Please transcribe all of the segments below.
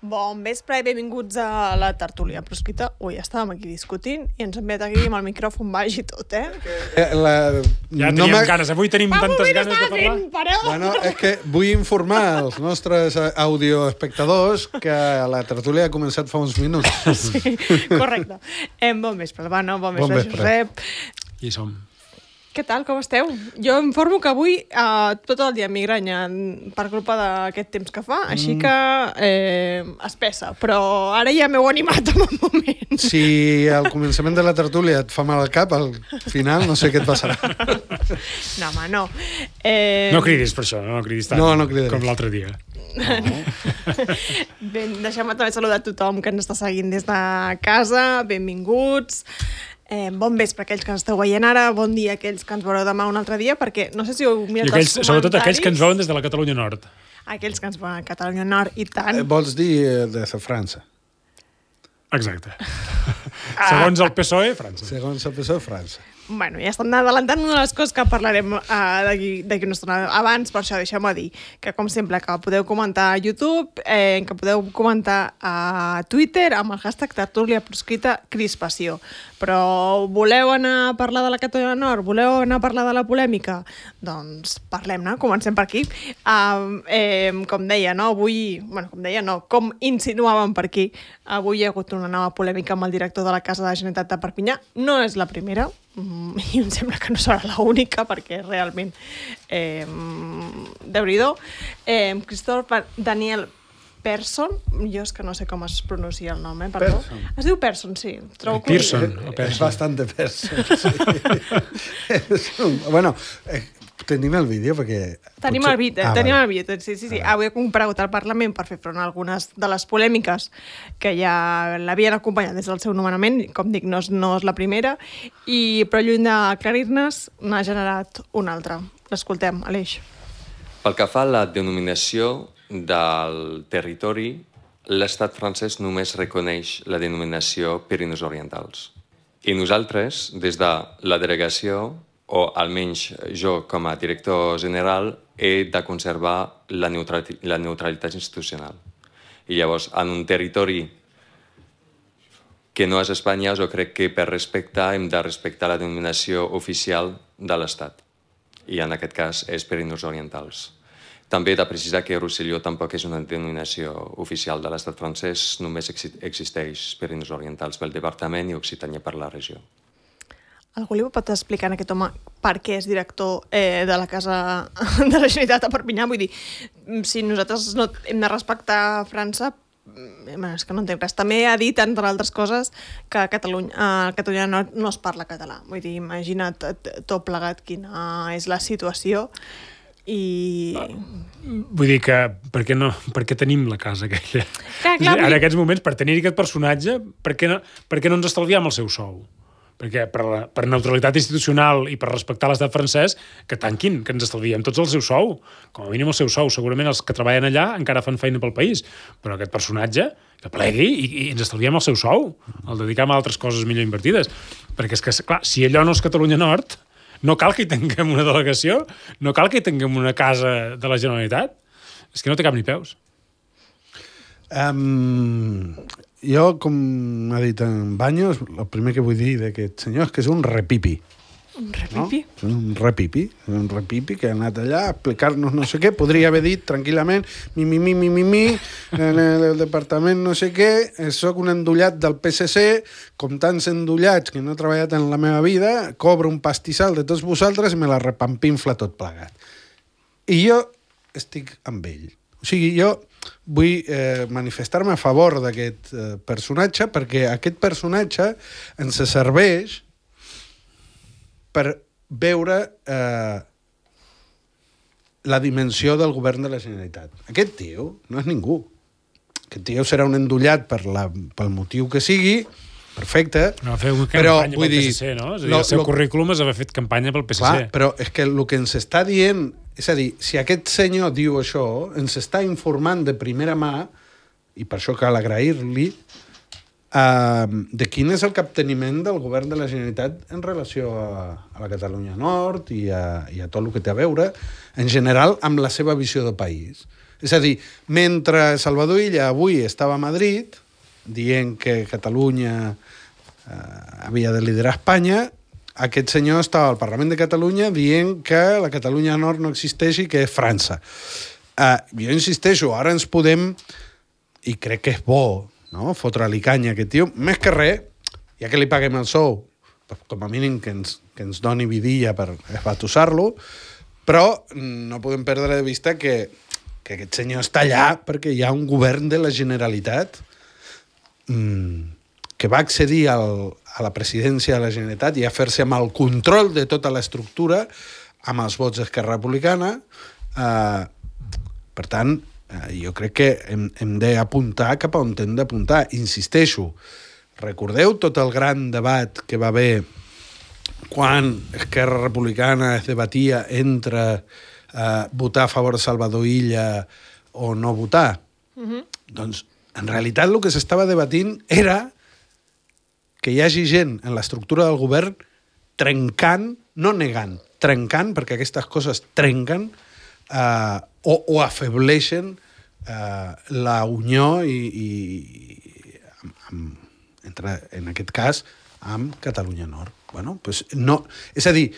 Bon vespre i benvinguts a la tertúlia proscrita. Ui, estàvem aquí discutint i ens hem enviat aquí amb el micròfon baix i tot, Ja teníem ganes, avui tenim tantes ganes de parlar. Bueno, és que vull informar als nostres audioespectadors que la tertúlia ha començat fa uns minuts. Sí, correcte. Bon vespre, bon vespre, Josep. Hi som. Què tal, com esteu? Jo informo que avui tot el dia migranya per culpa d'aquest temps que fa, així que espessa, però ara ja m'heu animat en un moment. Si al començament de la tertúlia et fa mal al cap, al final no sé què et passarà. No, home, no. No cridis per això, no cridis tant no cridaré. Com l'altre dia. No. Bé, deixem-me també saludar a tothom que ens està seguint des de casa, benvinguts. Bon vespre aquells que ens esteu veient ara, bon dia aquells que ens veureu demà un altre dia, perquè no sé si heu mirat els comentaris. Sobretot aquells que ens veuen des de la Catalunya Nord. Aquells que ens veuen a Catalunya Nord, i tant. Vols dir des de França? Exacte. Segons el PSOE, França. Segons el PSOE, França. Bueno, ja estan adelantant una de les coses que parlarem d'aquí una estona. Abans, per això, deixeu-me dir que, com sempre, que podeu comentar a YouTube, que podeu comentar a Twitter amb el hashtag tertúlia proscrita crispació. Però voleu anar a parlar de la Catalunya Nord? Voleu anar a parlar de la polèmica? Doncs parlem-ne, comencem per aquí. Com deia, no? Avui... Bueno, com deia, no. Com insinuàvem per aquí, avui hi ha hagut una nova polèmica amb el director de la Casa de la Generalitat de Perpinyà. No és la primera, i em sembla que no serà l'única, perquè realment déu-n'hi-do. Christophe Daniel Persson, jo és que no sé com es pronuncia el nom, perdó. Persson. Es diu Persson, sí. Pearson. És bastant de Persson, sí. Bueno, tenim el vídeo perquè... Tenim el vídeo, sí. Avui he comparegut al Parlament per fer front a algunes de les polèmiques que ja l'havien acompanyat des del seu nomenament. Com dic, no és la primera, però lluny d'aclarir-nos n'ha generat una altra. L'escoltem, Aleix. Pel que fa a la denominació del territori, l'estat francès només reconeix la denominació Pirineus Orientals. I nosaltres, des de la delegació, o almenys jo com a director general, he de conservar la neutralitat institucional. I llavors, en un territori que no és Espanya, jo crec que per respecte hem de respectar la denominació oficial de l'Estat. I en aquest cas és Pirineus Orientals. També he de precisar que Rosselló tampoc és una denominació oficial de l'estat francès, només existeix Pirineus Orientals pel departament i Occitània per la regió. Algú li pot explicar a aquest home per què és director de la Casa de la Generalitat a Perpinyà? Vull dir, si nosaltres no hem de respectar França, és que no entenc res. També ha dit, entre altres coses, que a Catalunya no es parla català. Vull dir, imagina't tot plegat quina és la situació. Vull dir que per què tenim la casa aquella? Clar, en aquests moments, per tenir aquest personatge, per què no ens estalviem el seu sou? Perquè per neutralitat institucional i per respectar l'estat francès, que tanquin, que ens estalviem tots el seu sou. Com a mínim el seu sou. Segurament els que treballen allà encara fan feina pel país. Però aquest personatge, que plegui i ens estalviem el seu sou. El dedicam a altres coses millor invertides. Perquè és que, clar, si allò no és Catalunya Nord, no cal que hi tinguem una delegació, no cal que hi tinguem una casa de la Generalitat. És que no té cap ni peus. Jo, com ha dit en Baños, el primer que vull dir d'aquest senyor és que és un repipi. Un repipi? No? Un repipi que ha anat allà a explicar-nos no sé què. Podria haver dit tranquil·lament en el departament no sé què, soc un endollat del PSC, com tants endollats que no he treballat en la meva vida, cobro un pastissal de tots vosaltres i me la repampinfla tot plegat. I jo estic amb ell. O sigui, jo vull manifestar-me a favor d'aquest personatge perquè aquest personatge ens serveix per veure la dimensió del govern de la Generalitat. Aquest tio no és ningú. Aquest tio serà un endollat pel motiu que sigui perfecte. No va fer una però, campanya vull pel dir, PSC, no? És a dir, el seu currículum és haver fet campanya pel PSC. Clar, però és que el que ens està dient... És a dir, si aquest senyor diu això, ens està informant de primera mà, i per això cal agrair-li, de quin és el capteniment del govern de la Generalitat en relació a la Catalunya Nord i a tot el que té a veure, en general, amb la seva visió de país. És a dir, mentre Salvador Illa avui estava a Madrid, dient que Catalunya havia de liderar Espanya, aquest senyor estava al Parlament de Catalunya dient que la Catalunya Nord no existeix i que és França. Jo insisteixo, ara ens podem, i crec que és bo, no? Fotre-li canya a aquest tio, més que res, ja que li paguem el sou, com a mínim que ens doni vidilla per esbatussar-lo, però no podem perdre de vista que aquest senyor està allà perquè hi ha un govern de la Generalitat que va accedir a la presidència de la Generalitat i a fer-se amb el control de tota l'estructura amb els vots d'Esquerra Republicana. Per tant, jo crec que hem d'apuntar cap a on hem d'apuntar. Insisteixo, recordeu tot el gran debat que va haver quan Esquerra Republicana es debatia entre votar a favor de Salvador Illa o no votar? Doncs, en realitat, el que s'estava debatint era que hi hagi gent en l'estructura del govern trencant, no negant, trencant, perquè aquestes coses trenquen, o afebleixen la unió en aquest cas amb Catalunya Nord. Bueno, pues no, és a dir,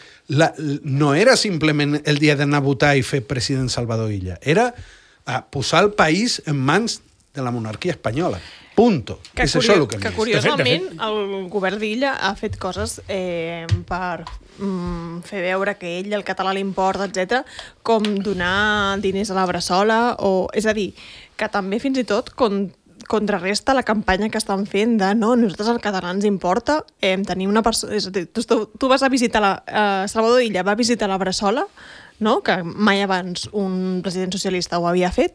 no era simplement el dia d'anar a votar i fer president Salvador Illa, era posar el país en mans de la monarquia espanyola. Punto. És això el que hem vist. Que curiosament el govern d'Illa ha fet coses per fer veure que ell el català li importa, etc, com donar diners a la Bressola, és a dir, que també fins i tot contrarresta la campanya que estan fent de no, nosaltres el català ens importa, tenir una persona... És a dir, tu vas a visitar Salvador Illa va visitar la Bressola, no? Que mai abans un president socialista ho havia fet,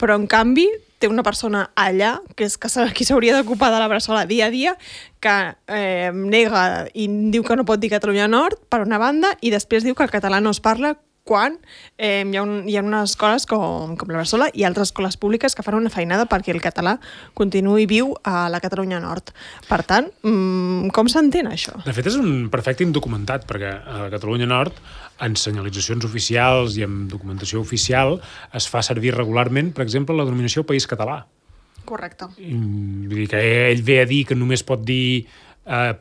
però en canvi té una persona allà, que és qui s'hauria d'ocupar de la Bressola dia a dia, que nega i diu que no pot dir Catalunya Nord, per una banda, i després diu que el català no es parla quan hi ha unes escoles com la Bressola i altres escoles públiques que fan una feinada perquè el català continuï viu a la Catalunya Nord. Per tant, com s'entén això? De fet, és un perfecte indocumentat, perquè a la Catalunya Nord, en senyalitzacions oficials i en documentació oficial, es fa servir regularment, per exemple, la denominació País Català. Correcte. Vull dir que ell ve a dir que només pot dir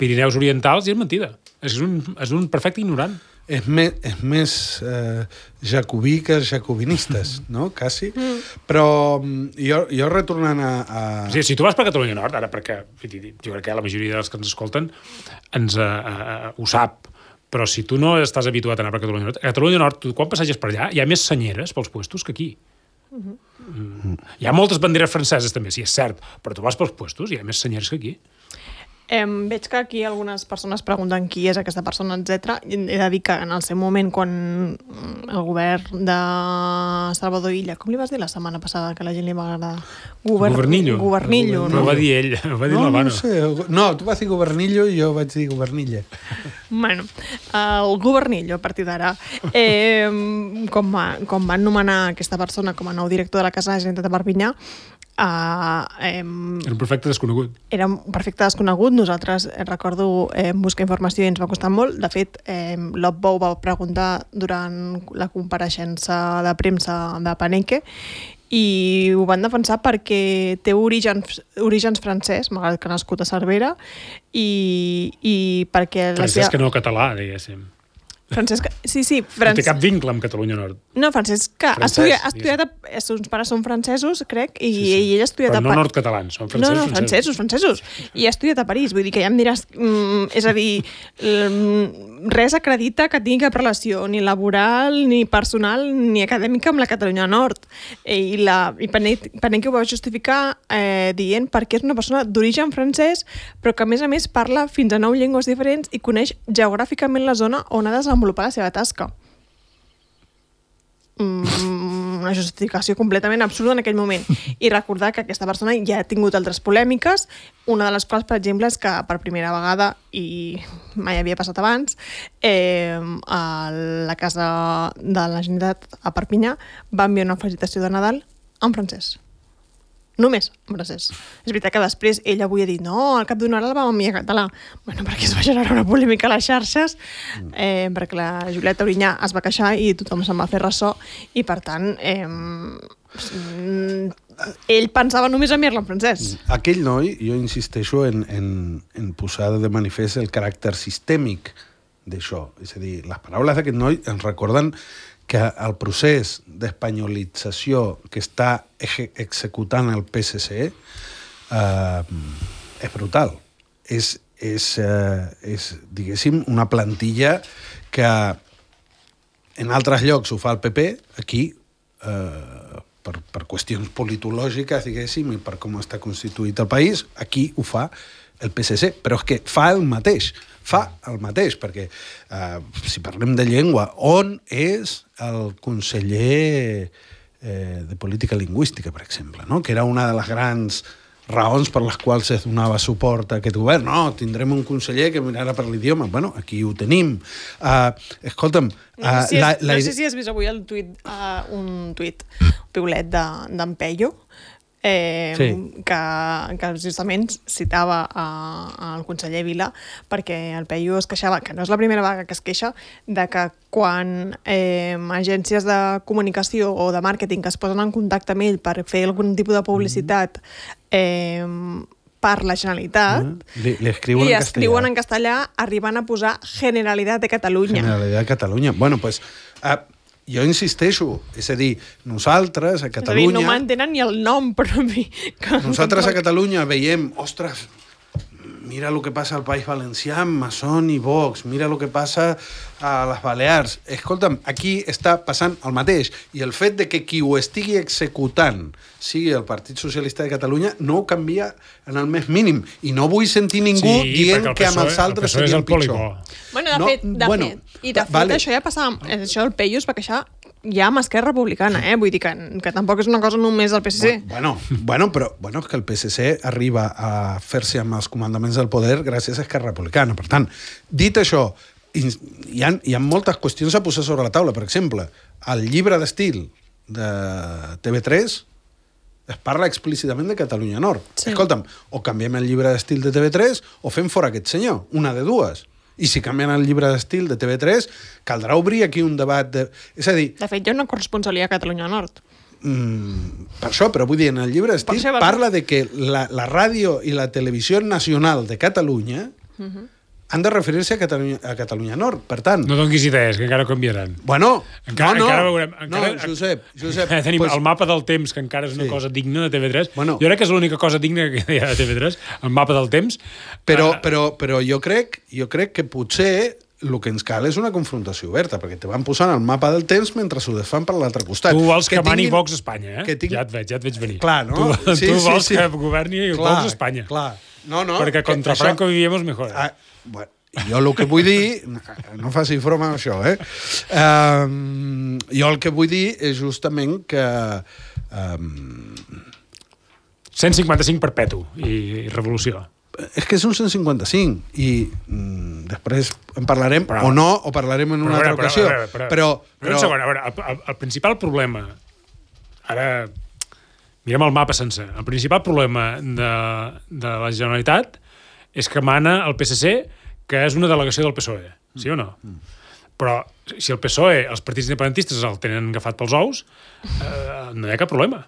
Pirineus Orientals i és mentida. És un perfecte ignorant. És més jacobí que els jacobinistes, no? Quasi. Però jo retornant a... O sigui, si tu vas per Catalunya Nord, ara perquè jo crec que la majoria dels que ens escolten ho sap, però si tu no estàs habituat a anar per Catalunya Nord, a Catalunya Nord, tu quan passeges per allà, hi ha més senyeres pels puestos que aquí. Hi ha moltes banderes franceses també, sí, és cert, però tu vas pels puestos i hi ha més senyeres que aquí. Veig que aquí algunes persones pregunten qui és aquesta persona, etc. He de dir que en el seu moment, quan el govern de Salvador Illa, com li vas dir la setmana passada que la gent li va agradar? Governillo. Governillo, no? Ho va dir ell, ho va dir l'Havano. No sé, no, tu vas dir Governillo i jo vaig dir Governille. Bueno, el Governillo, a partir d'ara, com van nomenar aquesta persona com a nou director de la Casa de la Generalitat de Perpinyà, era un perfecte desconegut. Era un perfecte desconegut. Nosaltres, recordo, buscar informació i ens va costar molt. De fet, l'Opbou va preguntar durant la compareixença de premsa de Paneque i ho van defensar perquè té orígens francès, malgrat que ha nascut a Cervera, i perquè... Francesc que no català, diguéssim. Francesc, sí, no té cap vincle amb Catalunya Nord. No, Francesc, que ha estudiat, els pares són francesos, crec, i ell ha estudiat a París. Però no nord-catalans, són francesos. francesos. I ha estudiat a París, vull dir que ja em diràs... és a dir, res acredita que tingui cap relació, ni laboral, ni personal, ni acadèmica amb la Catalunya Nord. I Paneque ho va justificar dient perquè és una persona d'origen francès, però que a més parla fins a 9 llengües diferents i coneix geogràficament la zona on ha desenvolupat la seva tasca. una justificació completament absurda en aquell moment. I recordar que aquesta persona ja ha tingut altres polèmiques, una de les quals, per exemple, és que per primera vegada, i mai havia passat abans, a la Casa de la Generalitat a Perpinyà va enviar una felicitació de Nadal en francès. Només en francès. És veritat que després ell avui ha dit no, al cap d'una hora el vam enviar en català. Bueno, perquè es va generar una polèmica a les xarxes, perquè la Julieta Orinyà es va queixar i tothom se'n va fer ressò, i per tant ell pensava només enviar-la en francès. Aquell noi, jo insisteixo en posar de manifest el caràcter sistèmic d'això. És a dir, les paraules d'aquest noi ens recorden que el procés d'espanyolització que està executant el PSC és brutal. És, diguéssim, una plantilla que en altres llocs ho fa el PP, aquí, per qüestions politològiques, diguéssim, i per com està constituït el país, aquí ho fa el PSC, però és que fa el mateix, perquè si parlem de llengua, on és el conseller de política lingüística, per exemple, no? Que era una de les grans raons per les quals es donava suport a aquest govern. No, tindrem un conseller que mirarà per l'idioma. Bueno, aquí ho tenim. Escolta'm... No sé si has vist avui un tuit piulet d'en Peyo, sí. que justament citava el conseller Vila, perquè el Peyo es queixava, que no és la primera vegada que es queixa, de que quan agències de comunicació o de màrqueting que es posen en contacte amb ell per fer algun tipus de publicitat per la Generalitat, li escriuen en castellà arribant a posar Generalitat de Catalunya. Generalitat de Catalunya. Bueno, doncs... jo insisteixo, és a dir, nosaltres a Catalunya... És a dir, no m'entenen ni el nom propi. Nosaltres a Catalunya veiem, ostres, mira el que passa al País Valencià amb Masson i Vox, mira el que passa a les Balears. Escolta'm, aquí està passant el mateix, i el fet de que qui ho estigui executant sigui el Partit Socialista de Catalunya no ho canvia en el més mínim, i no vull sentir ningú dient que amb els altres seria el pitjor. Bueno, de fet, això ja passava, això el Peyo es va queixar ja amb Esquerra Republicana, vull dir que tampoc és una cosa només del PSC. Però és que el PSC arriba a fer-se amb els comandaments del poder gràcies a Esquerra Republicana. Per tant, dit això, hi ha moltes qüestions a posar sobre la taula. Per exemple, el llibre d'estil de TV3 es parla explícitament de Catalunya Nord. Sí. Escolta'm, o canviem el llibre d'estil de TV3 o fem fora aquest senyor, una de dues. I si canvien el llibre d'estil de TV3, caldrà obrir aquí un debat de... És a dir... De fet, hi ha una corresponsalia a Catalunya Nord. Per això, però vull dir, en el llibre d'estil parla de que la ràdio i la televisió nacional de Catalunya han de referir-se a Catalunya Nord. Per tant... No donis idees, que encara canviaran. Bueno, encara veurem. Josep... Tenim el mapa del temps, que encara és una cosa digna de TV3. Bueno, jo crec que és l'única cosa digna que hi ha de TV3, el mapa del temps. Però jo crec que potser el que ens cal és una confrontació oberta, perquè te van posant el mapa del temps mentre s'ho desfan per l'altre costat. Tu vols que mani Vox a Espanya, eh? Ja et veig venir. Clar, no? Tu vols que governi Vox a Espanya. Clar. No, perquè contra Franco vivíamos mejor. Bueno, jo el que vull dir... No faci broma amb això, eh? Jo el que vull dir és justament que... 155 perpetu i revolució. És que és un 155 i després en parlarem o parlarem en una altra ocasió. Però un segon, a veure, el principal problema, ara mirem el mapa sencer, el principal problema de la Generalitat és que mana el PSC, que és una delegació del PSOE, sí o no? Però si el PSOE, els partits independentistes el tenen agafat pels ous, no hi ha cap problema.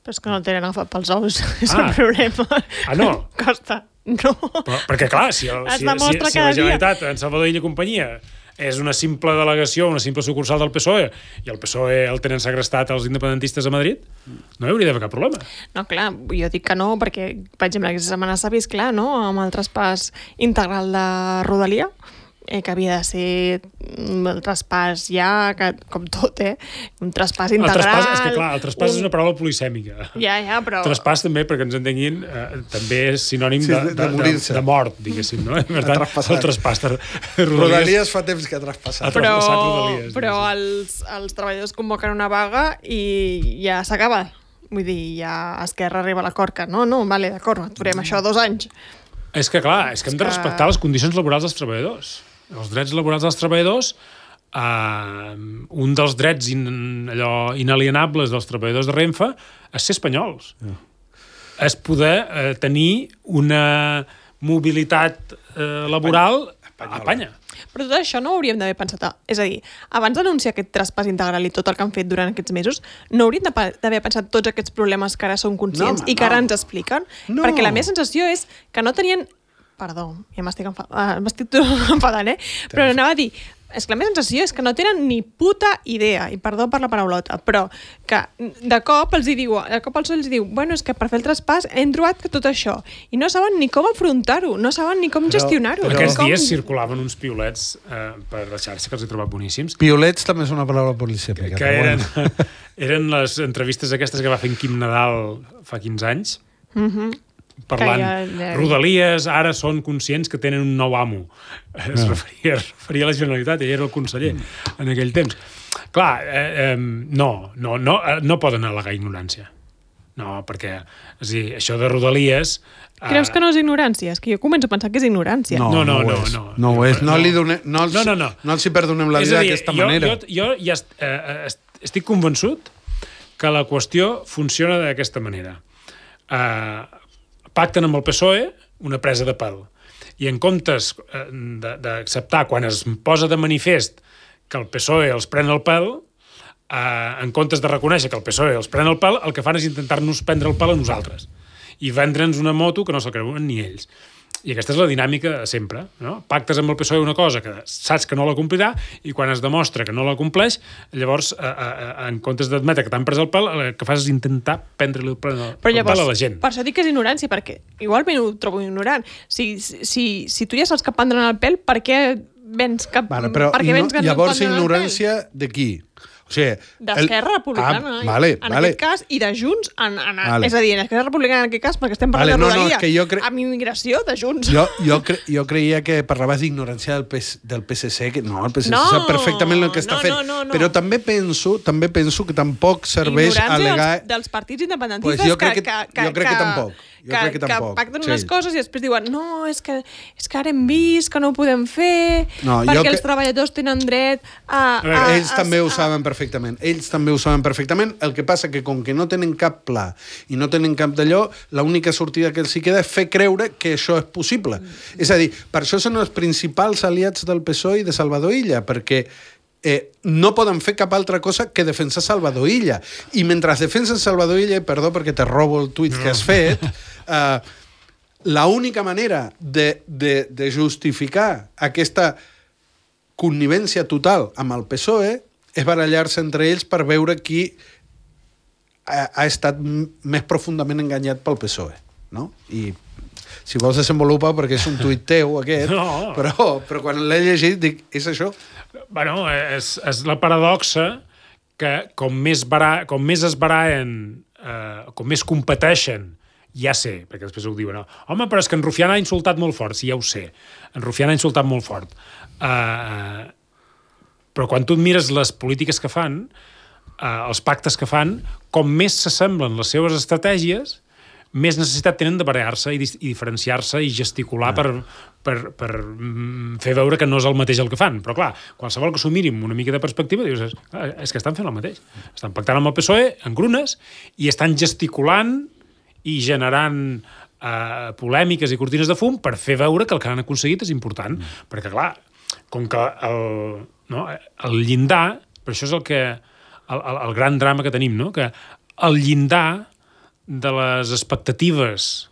Però és que no el tenen agafat pels ous, és el problema. No? Costa, no. Perquè clar, si la Generalitat, en Salvador Illa i companyia, és una simple delegació, una simple sucursal del PSOE, i el PSOE el tenen segrestat els independentistes a Madrid, no hi hauria d'haver cap problema. No, clar, jo dic que no, perquè, per exemple, aquesta setmana s'ha vist clar, no?, amb el traspàs integral de Rodalia, que havia de ser el traspàs ja, que, com tot, un traspàs integral. El traspàs, és que clar, el traspàs és una paraula polisèmica. Ja, però... Traspàs també, perquè ens entenguin, també és sinònim de mort, diguéssim, no? Per tant, el traspàs de Rodalies fa temps que ha traspassat. Però els treballadors convoquen una vaga i ja s'acaba. Vull dir, ja Esquerra arriba a l'acord que no, vale, d'acord, aturem això 2 anys. És que clar, és que hem de respectar les condicions laborals dels treballadors. Els drets laborals dels treballadors, un dels drets inalienables dels treballadors de Renfe és ser espanyols. És poder tenir una mobilitat laboral a Espanya. Però tot això no ho hauríem d'haver pensat. És a dir, abans d'anunciar aquest traspàs integral i tot el que han fet durant aquests mesos, no hauríem d'haver pensat tots aquests problemes que ara són conscients i que ara ens expliquen? No. Perquè la meva sensació és que no tenien... Perdó, ja m'estic enfadant, Però anava a dir... És que la meva sensació és que no tenen ni puta idea, i perdó per la paraulota, però que de cop els diu, bueno, és que per fer el traspàs hem trobat que tot això, i no saben ni com afrontar-ho, no saben ni com gestionar-ho. Aquests dies circulaven uns piulets per la xarxa que els he trobat boníssims. Piulets també és una paraula polisèmica. Que eren les entrevistes aquestes que va fer en Quim Nadal fa 15 anys, parlant, Rodalies ara són conscients que tenen un nou amo. Es referia a la Generalitat, ell era el conseller en aquell temps. Clar, no poden al·legar ignorància. No, perquè això de Rodalies... Creus que no és ignorància? És que jo començo a pensar que és ignorància. No ho és. No els hi perdonem la vida d'aquesta manera. Jo ja estic convençut que la qüestió funciona d'aquesta manera. Pacten amb el PSOE una presa de pèl. I en comptes d'acceptar, quan es posa de manifest que el PSOE els pren el pèl, en comptes de reconèixer que el PSOE els pren el pèl, el que fan és intentar-nos prendre el pèl a nosaltres i vendre'ns una moto que no se'l creuen ni ells. I aquesta és la dinàmica sempre, no? Pactes amb el PSOE una cosa que saps que no la complirà i quan es demostra que no la compleix, llavors, en comptes d'admetre que t'han pres el pèl, el que fas és intentar prendre-li el pèl a la gent. Per això dic que és ignorància, perquè igualment ho trobo ignorant. Si tu ja saps que prendran el pèl, per què vens que... Llavors, ignorància de qui? O sigui, d'Esquerra Republicana, en aquest cas, i de Junts, és a dir, en Esquerra Republicana en aquest cas, perquè estem parlant de Rodalia, amb immigració de Junts. Jo creia que parlaves d'ignorància del PSC, que no, el PSC sap perfectament el que està fent, però també penso que tampoc serveix alegar... dels partits independentistes jo crec que tampoc. Que pacten unes coses i després diuen no, és que ara hem vist que no ho podem fer, perquè els treballadors tenen dret a... Ells també ho saben perfectament. El que passa que com que no tenen cap pla i no tenen cap d'allò, l'única sortida que els hi queda és fer creure que això és possible. És a dir, per això són els principals aliats del PSOE i de Salvador Illa, perquè no poden fer cap altra cosa que defensar Salvador Illa. I mentre defensen Salvador Illa, perdó perquè te robo el tuit que has fet, l'única manera de justificar aquesta connivència total amb el PSOE és barallar-se entre ells per veure qui ha estat més profundament enganyat pel PSOE. No? I si vols desenvolupar, perquè és un tuit teu aquest, però quan l'he llegit dic, és això? Bueno, és la paradoxa que com més es baraen, com més competeixen, ja sé, perquè després ho diuen, home, però és que en Rufián ha insultat molt fort. Sí, ja ho sé, en Rufián ha insultat molt fort. Però quan tu et mires les polítiques que fan, els pactes que fan, com més s'assemblen les seves estratègies, més necessitat tenen de barallar-se i diferenciar-se i gesticular per fer veure que no és el mateix el que fan. Però clar, qualsevol que s'ho miri amb una mica de perspectiva, dius, és que estan fent el mateix. Estan pactant amb el PSOE, en grunes, i estan gesticulant i generant polèmiques i cortines de fum per fer veure que el que han aconseguit és important. Perquè clar, com que el llindar, per això és el gran drama que tenim, no? Que el llindar de les expectatives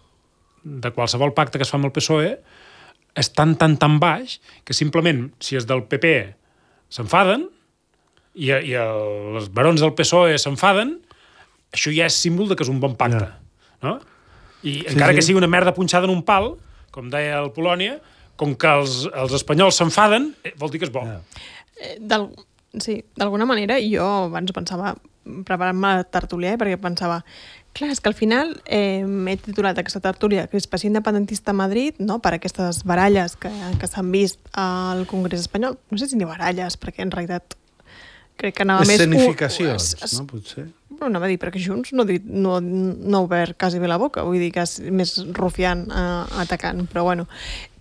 de qualsevol pacte que es fa amb el PSOE és tan baix que simplement, si és del PP s'enfaden i els barons del PSOE s'enfaden, això ja és símbol de que és un bon pacte. No? I encara que sigui una merda punxada en un pal, com deia el Polònia, com que els espanyols s'enfaden, vol dir que és bo. Sí, d'alguna manera jo abans pensava, preparant-me la tertúlia, perquè pensava, clar, és que al final he titulat aquesta tertúlia Crispació independentista a Madrid, no?, per aquestes baralles que s'han vist al Congrés espanyol. No sé si ni baralles, perquè en realitat crec que anava més... Escenificacions, no, potser? Però anava a dir, perquè Junts no ha obert quasi bé la boca, vull dir que és més rufiant atacant, però bueno,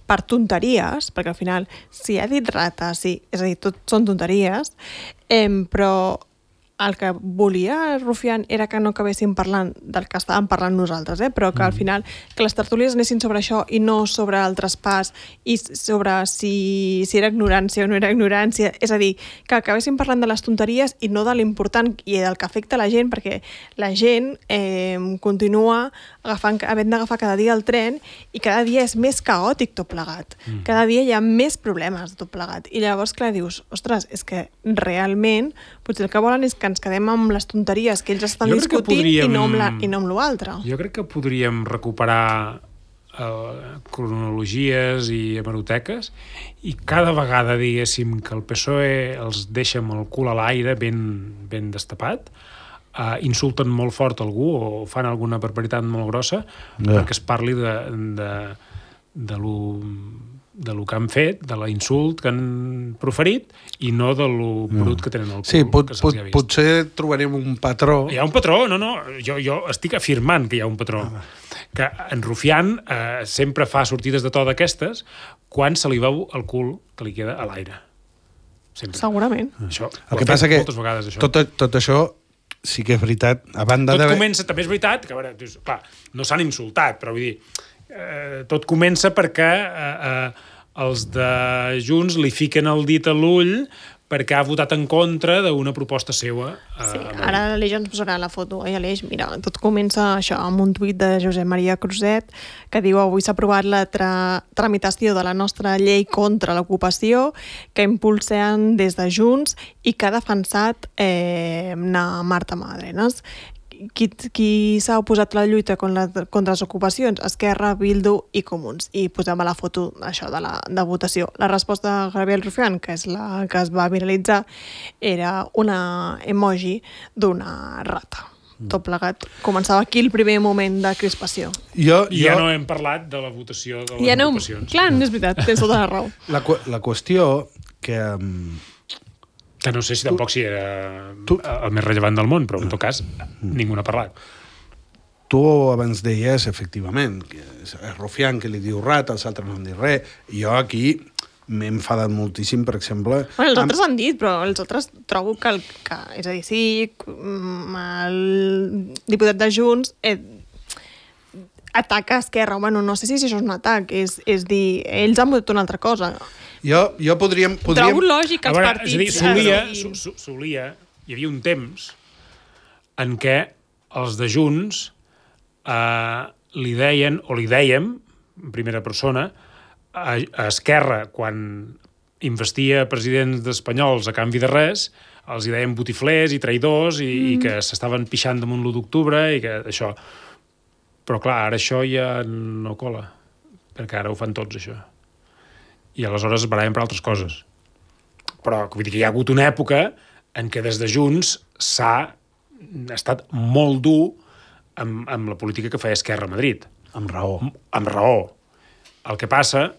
per tonteries, perquè al final, si ha dit rata, sí, és a dir, tot són tonteries, però el que volia Rufián era que no acabéssim parlant del que estàvem parlant nosaltres, però que al final que les tertúlies anessin sobre això i no sobre el traspàs i sobre si era ignorància o no era ignorància, és a dir, que acabéssim parlant de les tonteries i no de l'important i del que afecta la gent, perquè la gent continua havent d'agafar cada dia el tren i cada dia és més caòtic tot plegat. Cada dia hi ha més problemes tot plegat. I llavors, clar, dius, ostres, és que realment potser el que volen és que ens quedem amb les tonteries que ells estan discutint i no amb l'altre. Jo crec que podríem recuperar cronologies i hemeroteques i cada vegada diguéssim que el PSOE els deixa amb el cul a l'aire ben destapat, insulten molt fort algú o fan alguna barbaritat molt grossa perquè es parli de lo que han fet, de l'insult que han proferit i no de lo brut que tenen al cul. Sí, potser trobarem un patró. Hi ha un patró, no. Jo estic afirmant que hi ha un patró. Que en Rufián sempre fa sortides de to d'aquestes quan se li veu el cul que li queda a l'aire. Sempre. Segurament. Això, el que passa que moltes vegades, això. Tot això sí que és veritat. A banda tot comença, també és veritat, que a veure, dius, clar, no s'han insultat, però vull dir, tot comença perquè els de Junts li fiquen el dit a l'ull perquè ha votat en contra d'una proposta seva. Sí, ara l'Aleix ens posarà la foto. Aleix, mira, tot comença això amb un tuit de Josep Maria Cruzet que diu: avui s'ha aprovat la tramitació de la nostra llei contra l'ocupació que impulsen des de Junts i que ha defensat Marta Madrenas. Qui s'ha oposat a la lluita contra les ocupacions? Esquerra, Bildu i Comuns. I posem a la foto això de votació. La resposta de Gabriel Rufián, que és la que es va viralitzar, era una emoji d'una rata. Tot plegat. Començava aquí el primer moment de crispació. Ja no hem parlat de la votació de les ocupacions. Clar, és veritat, tens tota la raó. La qüestió que no sé si tampoc si era el més rellevant del món, però en tot cas ningú n'ha parlat. Tu abans deies, efectivament, que és Rufián que li diu rata, els altres no han dit res. Jo aquí m'he enfadat moltíssim, per exemple... Bueno, els altres han dit, però els altres trobo que és a dir, sí, el diputat de Junts ataca Esquerra. Bueno, no sé si això és un atac, és dir, ells han votat una altra cosa. Jo podríem... Trobo lògic els partits... És a dir, solia, hi havia un temps en què els de Junts li deien, o li dèiem, en primera persona, a Esquerra, quan investia presidents espanyols a canvi de res, els hi deien botiflers i traïdors i que s'estaven pixant damunt l'1 d'octubre i que això... Però clar, ara això ja no cola, perquè ara ho fan tots, això. I aleshores es barallen per altres coses. Però vull dir que hi ha hagut una època en què des de Junts s'ha estat molt dur amb la política que feia Esquerra a Madrid. Amb raó. Amb raó. El que passa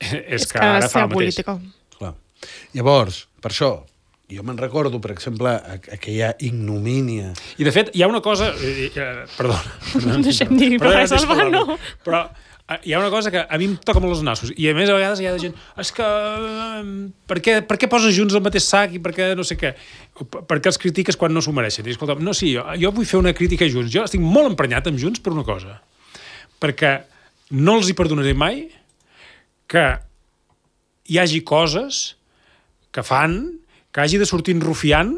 és que ara fa el mateix. Clar. Llavors, per això, jo me'n recordo, per exemple, aquella ignomínia... I, de fet, hi ha una cosa... Perdona. No deixem dir res, Albano. Però hi ha una cosa que a mi em toca molt els nassos. I a més, a vegades hi ha gent... És que... Per què poses Junts al mateix sac i per què no sé què? Per què els critiques quan no s'ho mereixen? I escolta, no, sí, jo vull fer una crítica a Junts. Jo estic molt emprenyat amb Junts per una cosa. Perquè no els hi perdonaré mai que hi hagi coses que fan que hagi de sortir en Rufián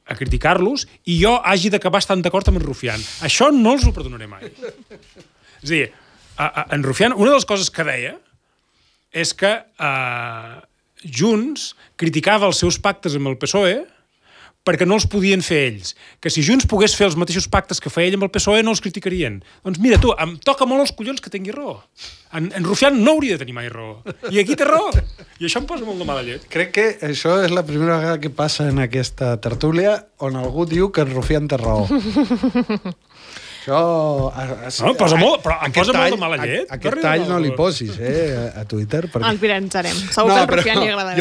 a criticar-los i jo hagi d'acabar estant d'acord amb en Rufián. Això no els ho perdonaré mai. És a dir, en Rufián, una de les coses que deia és que Junts criticava els seus pactes amb el PSOE perquè no els podien fer ells. Que si Junts pogués fer els mateixos pactes que feia ell amb el PSOE no els criticarien. Doncs mira tu, em toca molt els collons que tingui raó. En Rufián no hauria de tenir mai raó. I aquí té raó. I això em posa molt de mala llet. Crec que això és la primera vegada que passa en aquesta tertúlia on algú diu que en Rufián té raó. Això... No, posa molt, però em posa molt de mala llet. Aquest tall no li posis, a Twitter. Perquè... El viralitzarem. Segur que al Rufián li agradarà.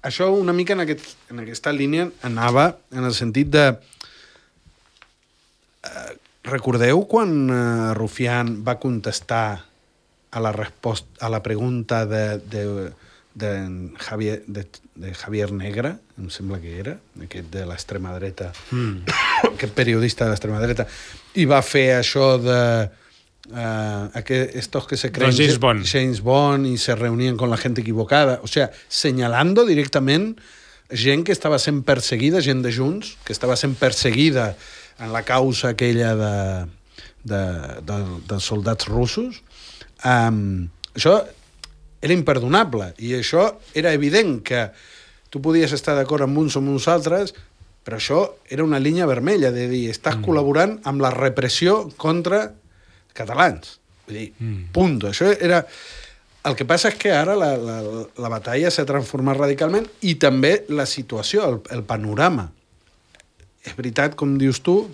Això una mica en aquesta línia anava en el sentit de... recordeu quan Rufián va contestar a la pregunta de Javier Negre, em sembla que era, aquest de l'extrema dreta, aquest periodista de l'extrema dreta, i va fer això de... estos que se creen James Bond y se reunían con la gente equivocada, o sea, señalando directament gent que estava sent perseguida, gent de Junts, que estava sent perseguida en la causa aquella dels soldats russos. Això era imperdonable i això era evident que tu podies estar d'acord amb uns o amb uns altres, però això era una línia vermella de dir, estàs col·laborant amb la repressió contra catalans. Vull dir, punt. Això era... El que passa és que ara la batalla s'ha transformat radicalment i també la situació, el panorama. És veritat, com dius tu,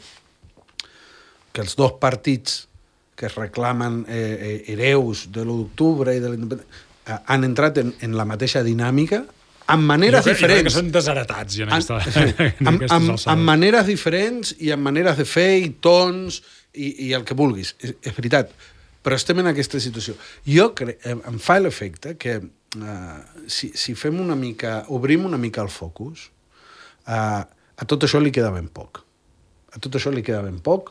que els dos partits que es reclamen hereus de l'1 d'octubre i de l'independència han entrat en la mateixa dinàmica amb maneres diferents. Jo crec que són desheretats ja amb maneres diferents i amb maneres de fer i tons i el que vulguis. És veritat. Però estem en aquesta situació. Jo crec, em fa l'efecte que si fem una mica, obrim una mica el focus, a tot això li queda ben poc. A tot això li queda ben poc,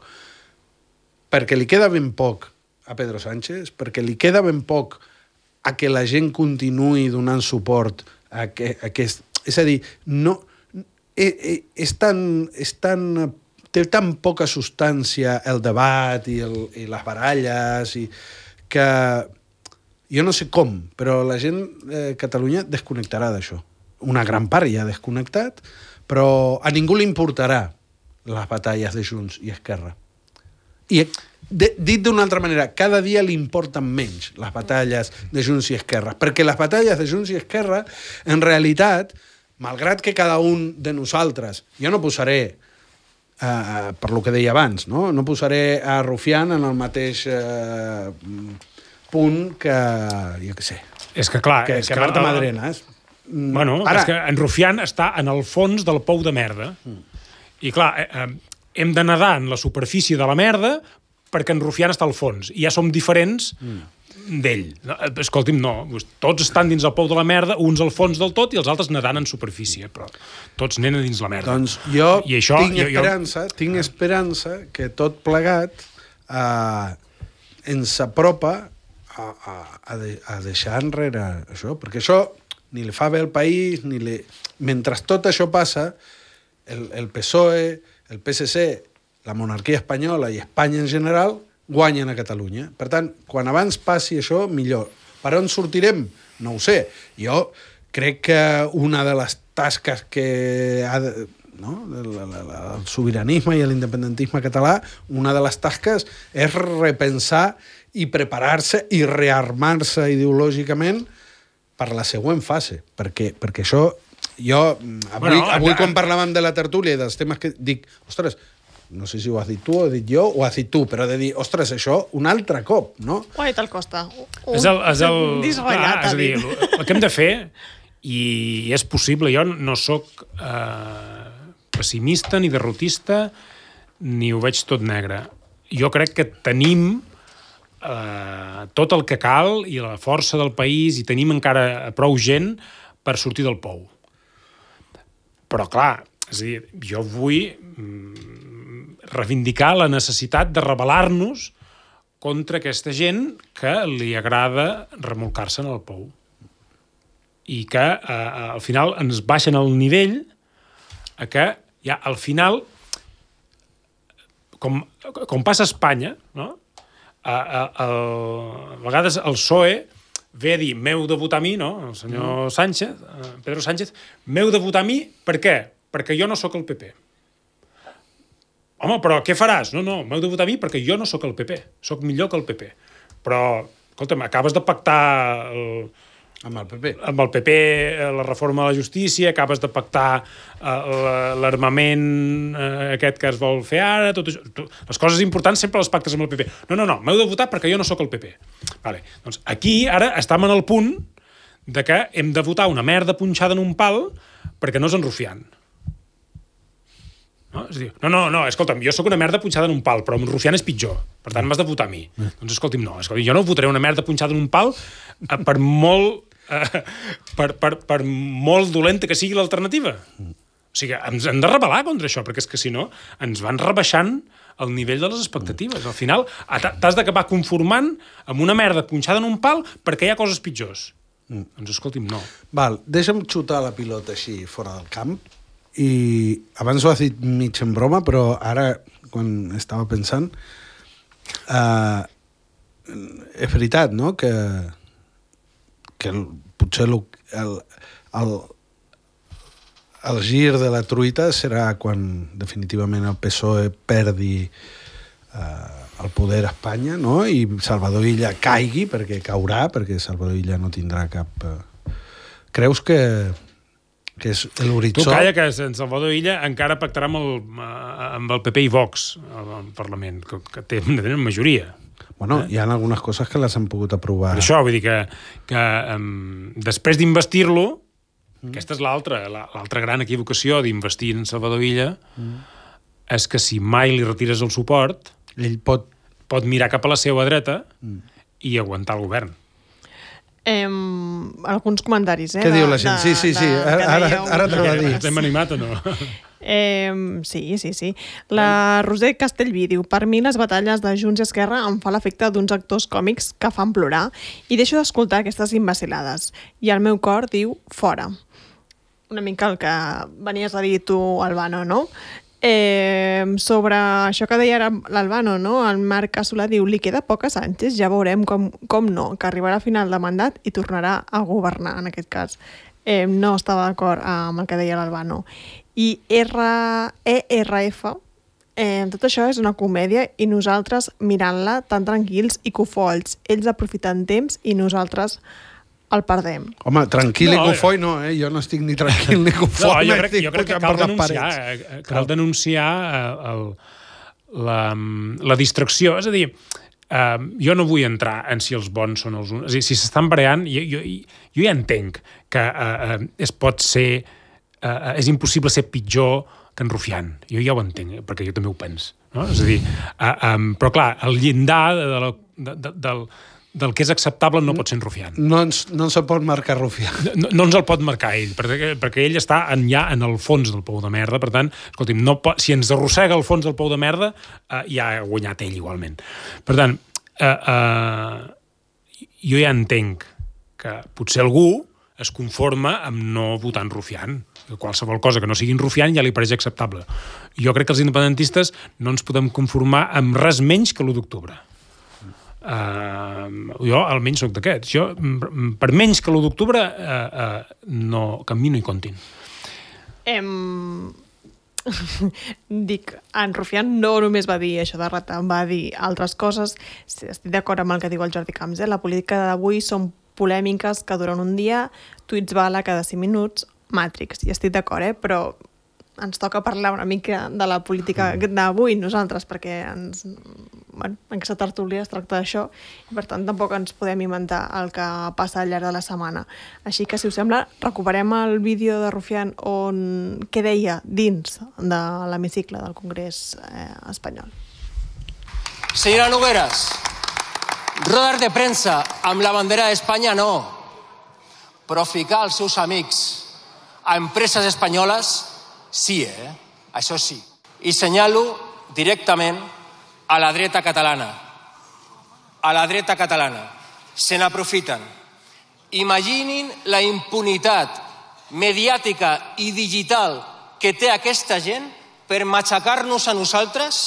perquè li queda ben poc a Pedro Sánchez, perquè li queda ben poc a que la gent continuï donant suport a aquest... És a dir, no, té tan poca substància el debat i les baralles i que jo no sé com, però la gent de Catalunya desconnectarà d'això. Una gran part ja ha desconnectat, però a ningú li importarà les batalles de Junts i Esquerra. I dit d'una altra manera, cada dia li importen menys les batalles de Junts i Esquerra, perquè les batalles de Junts i Esquerra, en realitat, malgrat que cada un de nosaltres, jo no posaré per lo que deia abans, no posaré a Rufián en el mateix punt que, jo què sé, és que clar, que Marta Madrenas. Bueno, és que en Rufián està en el fons del pou de merda. I clar, hem de nedar en la superfície de la merda perquè en Rufián està al fons. I ja som diferents d'ell. Escolti'm, no. Tots estan dins el pou de la merda, uns al fons del tot i els altres nedant en superfície. Però tots anen a dins la merda. Doncs jo tinc esperança que tot plegat ens apropa a deixar enrere això. Perquè això ni li fa bé al país, mentre tot això passa, el PSOE, el PSC, la monarquia espanyola i Espanya en general guanyen a Catalunya. Per tant, quan abans passi això, millor. Per on sortirem? No ho sé. Jo crec que una de les tasques que ha el sobiranisme i l'independentisme català, una de les tasques és repensar i preparar-se i rearmar-se ideològicament per la següent fase. Perquè això... Jo, avui quan parlàvem de la tertúlia i dels temes que dic, ostres, no sé si ho has dit tu, o ho he dit jo, o ho has dit tu, però de dir, ostres, això un altre cop, no? Ho ha dit el Costa. És a dir, el que hem de fer, i és possible, jo no sóc pessimista ni derrotista, ni ho veig tot negre. Jo crec que tenim tot el que cal i la força del país i tenim encara prou gent per sortir del pou. Però, clar, és a dir, jo vull reivindicar la necessitat de rebel·lar-nos contra aquesta gent que li agrada remolcar-se en el pou. I que, al final, ens baixen el nivell a que, ja, al final, com passa a Espanya, no? A vegades el PSOE ve a dir, m'heu de votar a mi, no? El senyor Sánchez, Pedro Sánchez, m'heu de votar a mi, per què? Perquè jo no sóc el PP. Home, però què faràs? No, m'heu de votar a mi perquè jo no sóc el PP. Sóc millor que el PP. Però, escolta'm, acabes de pactar Amb el PP. Amb el PP la reforma de la justícia, acabes de pactar l'armament aquest que es vol fer ara, tot això. Les coses importants sempre les pactes amb el PP. No, m'heu de votar perquè jo no sóc el PP. Vale. Doncs aquí ara estem en el punt de que hem de votar una merda punxada en un pal perquè no és enrufiant. No? És a dir, no, escolta'm, jo sóc una merda punxada en un pal, però amb rufiant és pitjor. Per tant, m'has de votar a mi. Doncs escolti'm, no. Jo no votaré una merda punxada en un pal per molt dolenta que sigui l'alternativa. O sigui, ens hem de rebel·lar contra això, perquè és que si no ens van rebaixant el nivell de les expectatives. Al final t'has d'acabar conformant amb una merda punxada en un pal perquè hi ha coses pitjors. Doncs escolti'm, no. Val, deixa'm xutar la pilota així fora del camp. I abans ho has dit mig en broma, però ara, quan estava pensant, és veritat, no?, que potser el gir de la truita serà quan definitivament el PSOE perdi el poder a Espanya, no?, i Salvador Illa caigui, perquè caurà, perquè Salvador Illa no tindrà cap... Creus que és l'horitzó... Tu calla que en Salvador Illa encara pactarà amb el PP i Vox al Parlament, que tenen majoria. Bueno, hi ha algunes coses que les han pogut aprovar. Per això, vull dir que després d'investir-lo, aquesta és l'altra gran equivocació d'investir en Salvador Illa, és que si mai li retires el suport, ell pot mirar cap a la seva dreta i aguantar el govern. Alguns comentaris, Què diu la gent? Sí, ara t'ho va dir. Estem animat o no? Sí. La Roser Castellví diu: per mi les batalles de Junts i Esquerra em fa l'efecte d'uns actors còmics que fan plorar i deixo d'escoltar aquestes imbecil·lades. I el meu cor diu fora. Una mica el que venies a dir tu, Albano, no? Sobre això que deia l'Albano, no? El Marc Casolà diu: li queda poc a Sánchez, ja veurem com no, que arribarà a final de mandat i tornarà a governar, en aquest cas. No estava d'acord amb el que deia l'Albano. I ERF, tot això és una comèdia i nosaltres mirant-la tan tranquils i cofolls. Ells aprofiten temps i nosaltres el perdem. Home, tranquil i cofoi no, jo no estic ni tranquil ni cofoi. Jo crec que cal denunciar la distracció. És a dir, jo no vull entrar en si els bons són els uns. És a dir, si s'estan barallant, jo ja entenc que és impossible ser pitjor que en Rufián. Jo ja ho entenc, perquè jo també ho penso. No? És a dir, però clar, el llindar del que és acceptable no pot ser en Rufián. No ens el pot marcar Rufián. No ens el pot marcar ell, perquè ell està ja en el fons del pou de merda. Per tant, escolti'm, si ens arrossega el fons del pou de merda, ja ha guanyat ell igualment. Per tant, jo ja entenc que potser algú es conforma amb no votar en Rufián. Qualsevol cosa que no sigui en Rufián ja li pareix acceptable. Jo crec que els independentistes no ens podem conformar amb res menys que l'1 d'octubre. Jo almenys soc d'aquests. Jo, per menys que l'1 d'octubre, no, que amb mi no hi comptin. Dic, en Rufián no només va dir això de rata, va dir altres coses. Estic d'acord amb el que diu el Jordi Camps. La política d'avui són polèmiques que duren un dia, tuits bala cada 5 minuts, Matrix. I estic d'acord, però ens toca parlar una mica de la política d'avui nosaltres, perquè en aquesta tertúlia es tracta d'això i per tant tampoc ens podem inventar el que passa al llarg de la setmana. Així que, si us sembla, recuperem el vídeo de Rufián què deia dins de l'hemicicle del Congrés espanyol. Señora Nogueras, rodes de premsa amb la bandera d'Espanya no, però ficar els seus amics a empreses espanyoles sí, això sí. I senyalo directament a la dreta catalana. A la dreta catalana. Se n'aprofiten. Imaginin la impunitat mediàtica i digital que té aquesta gent per matxacar-nos a nosaltres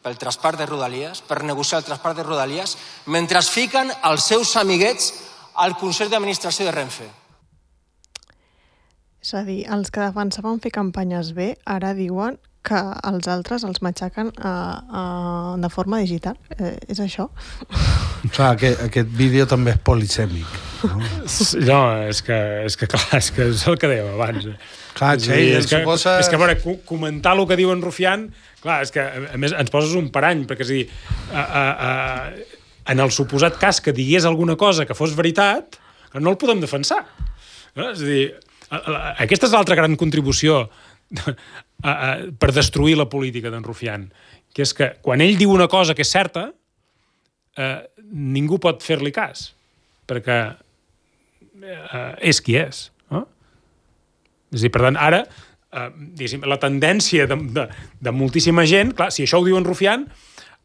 pel traspàs de Rodalies, per negociar el traspàs de Rodalies, mentre fiquen els seus amiguets al Consell d'Administració de Renfe. És a dir, els que defensaven fer campanyes bé ara diuen que els altres els matxaquen de forma digital. És això? Clar, aquest vídeo també és polisèmic. No? No, és que clar, és el que dèiem abans. Clar, és que, a veure, comentar el que diu en Rufián, clar, és que a més ens poses un parany, perquè és a dir, en el suposat cas que digués alguna cosa que fos veritat, no el podem defensar. No? És a dir, aquesta és l'altra gran contribució per destruir la política d'en Rufián, que és que quan ell diu una cosa que és certa, ningú pot fer-li cas, perquè és qui és. No? És a dir, per tant, ara, la tendència de moltíssima gent, clar, si això ho diu en Rufián,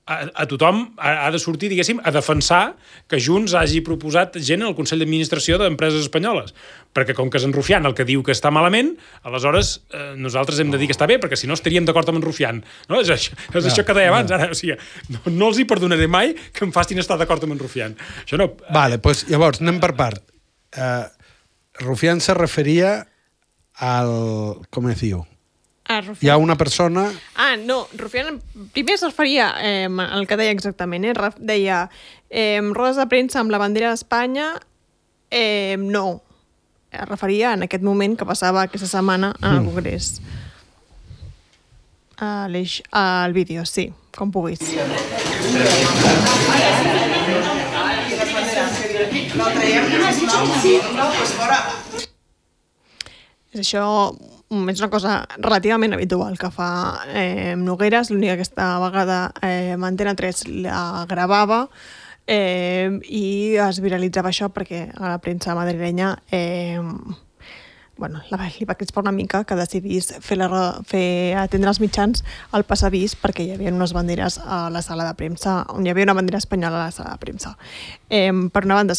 a tothom ha de sortir, diguéssim, a defensar que Junts hagi proposat gent al Consell d'Administració d'empreses espanyoles. Perquè com que és en Rufián el que diu que està malament, aleshores nosaltres hem de dir que està bé, perquè si no estaríem d'acord amb en Rufián. No? És això que deia abans. Ara, o sigui, no els hi perdonaré mai que em facin estar d'acord amb en Rufián. Això no... Vale, pues, llavors, anem per part. Rufián se referia al... com es diu? Hi ha una persona... no, Rufián primer es referia al que deia exactament, deia rodes de premsa amb la bandera d'Espanya, no. Es referia en aquest moment que passava aquesta setmana al Congrés. Al vídeo, sí, com puguis. És això, és una cosa relativament habitual que fa Nogueras, l'única que aquesta vegada Antena 3 la gravava i es viralitzava això perquè a la premsa madrilenya li va crispar una mica que decidís fer atendre els mitjans al passadís perquè hi havia unes banderes a la sala de premsa, on hi havia una bandera espanyola a la sala de premsa. Per una banda,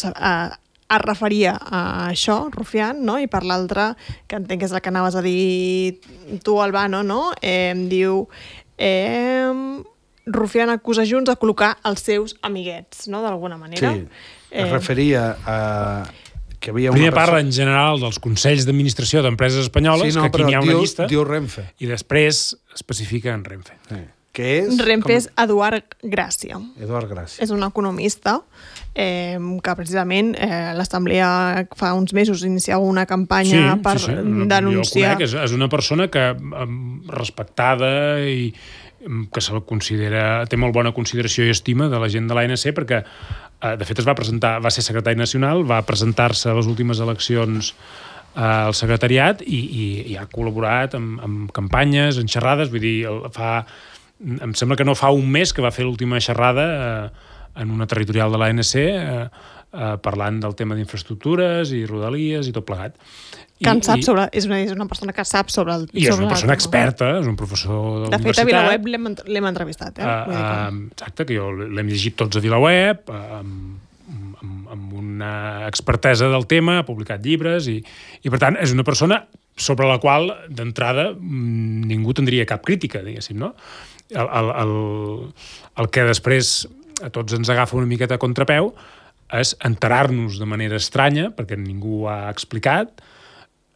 es referia a això, Rufián, no? I per l'altra, que entenc que és el que anaves a dir tu, Albano, no? Diu... Rufián acusa Junts de col·locar els seus amiguets, no? D'alguna manera. Sí, es referia a... que havia Primer parla en general dels consells d'administració d'empreses espanyoles, que aquí n'hi ha una llista, diu Renfe. I després especifica en Renfe. Sí. Que és... Renfe és Eduard Gràcia. Eduard Gràcia. És un economista que precisament l'Assemblea fa uns mesos iniciava una campanya per denunciar... Jo el conec, és una persona que respectada i que se la considera, té molt bona consideració i estima de la gent de l'ANC, perquè de fet va ser secretari nacional, va presentar-se a les últimes eleccions al secretariat i ha col·laborat amb campanyes, en xerrades, vull dir, em sembla que no fa un mes que va fer l'última xerrada en una territorial de l'ANC parlant del tema d'infraestructures i rodalies i tot plegat. És una persona que sap sobre el tema. I és una persona experta, és un professor de la universitat. De fet, a VilaWeb l'hem entrevistat. Exacte, que jo l'hem llegit tots a VilaWeb, amb una expertesa del tema, ha publicat llibres i per tant, és una persona sobre la qual, d'entrada, ningú tindria cap crítica, diguéssim, no? El que després a tots ens agafa una miqueta a contrapeu és enterar-nos de manera estranya, perquè ningú ho ha explicat,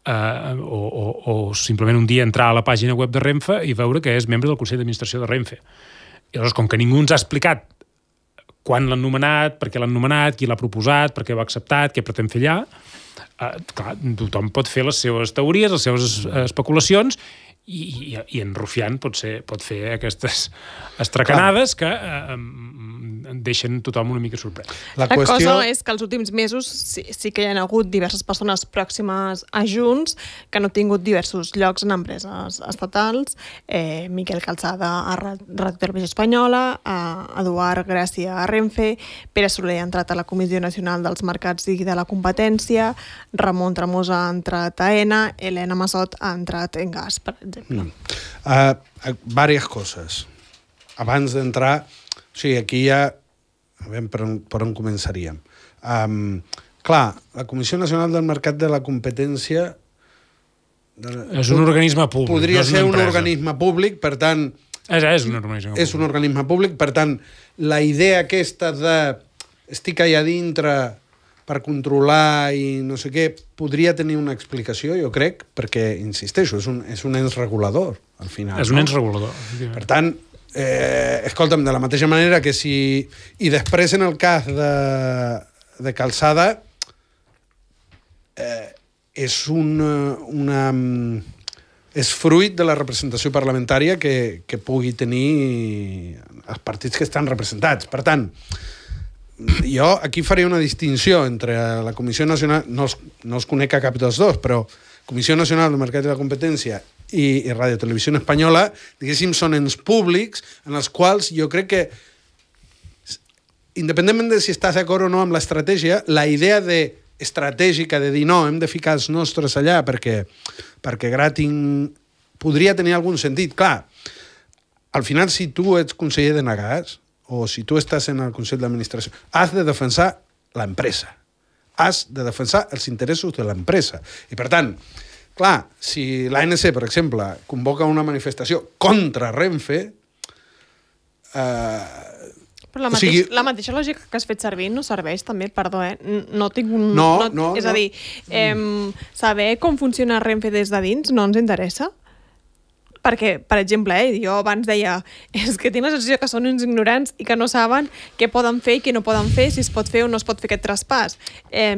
o simplement un dia entrar a la pàgina web de Renfe i veure que és membre del Consell d'Administració de Renfe. I llavors, com que ningú ens ha explicat quan l'han nomenat, per què l'han nomenat, qui l'ha proposat, per què ho ha acceptat, què pretén fer allà, clar, tothom pot fer les seves teories, les seves especulacions, i en Rufián pot fer aquestes estracanades que deixen tothom una mica sorprès. La cosa és que els últims mesos sí que hi ha hagut diverses persones pròximes a Junts que han obtingut diversos llocs en empreses estatals. Miquel Calçada a Ràdio Televisió Espanyola, Eduard Gràcia a Renfe, Pere Soler ha entrat a la Comissió Nacional dels Mercats i de la Competència, Ramon Tremosa ha entrat a ENA, Elena Massot ha entrat en Gas, per exemple. Varias coses. Abans d'entrar, o sigui, aquí ja veiem per on començaríem. Clar, la Comissió Nacional del Mercat de la Competència és un organisme públic. Podria ser un organisme públic, per tant, És un organisme públic. És un organisme públic, per tant, la idea aquesta de estic allà dintre per controlar i no sé què, podria tenir una explicació, jo crec, perquè, insisteixo, és un ens regulador, al final. És un ens regulador. Per tant, escolta'm, de la mateixa manera que si... I després, en el cas de Calçada, és és fruit de la representació parlamentària que pugui tenir els partits que estan representats. Per tant, jo aquí faré una distinció entre la Comissió Nacional, no els conec a cap dels dos, però Comissió Nacional del Mercat i la Competència i Radio Televisió Espanyola, diguéssim, són ens públics en els quals jo crec que, independentment de si estàs d'acord o no amb l'estratègia, la idea estratègica de dir no, hem de ficar els nostres allà perquè gratin podria tenir algun sentit. Clar, al final, si tu ets conseller de Nagas o si tu estàs en el Consell d'Administració, has de defensar l'empresa. Has de defensar els interessos de l'empresa. I, per tant, clar, si l'ANC, per exemple, convoca una manifestació contra Renfe, però la mateixa lògica que has fet servir no serveix també, perdó, no tinc un... No. És a dir, saber com funciona Renfe des de dins no ens interessa? Perquè, per exemple, jo abans deia és que tinc la sensació que són uns ignorants i que no saben què poden fer i què no poden fer, si es pot fer o no es pot fer aquest traspàs.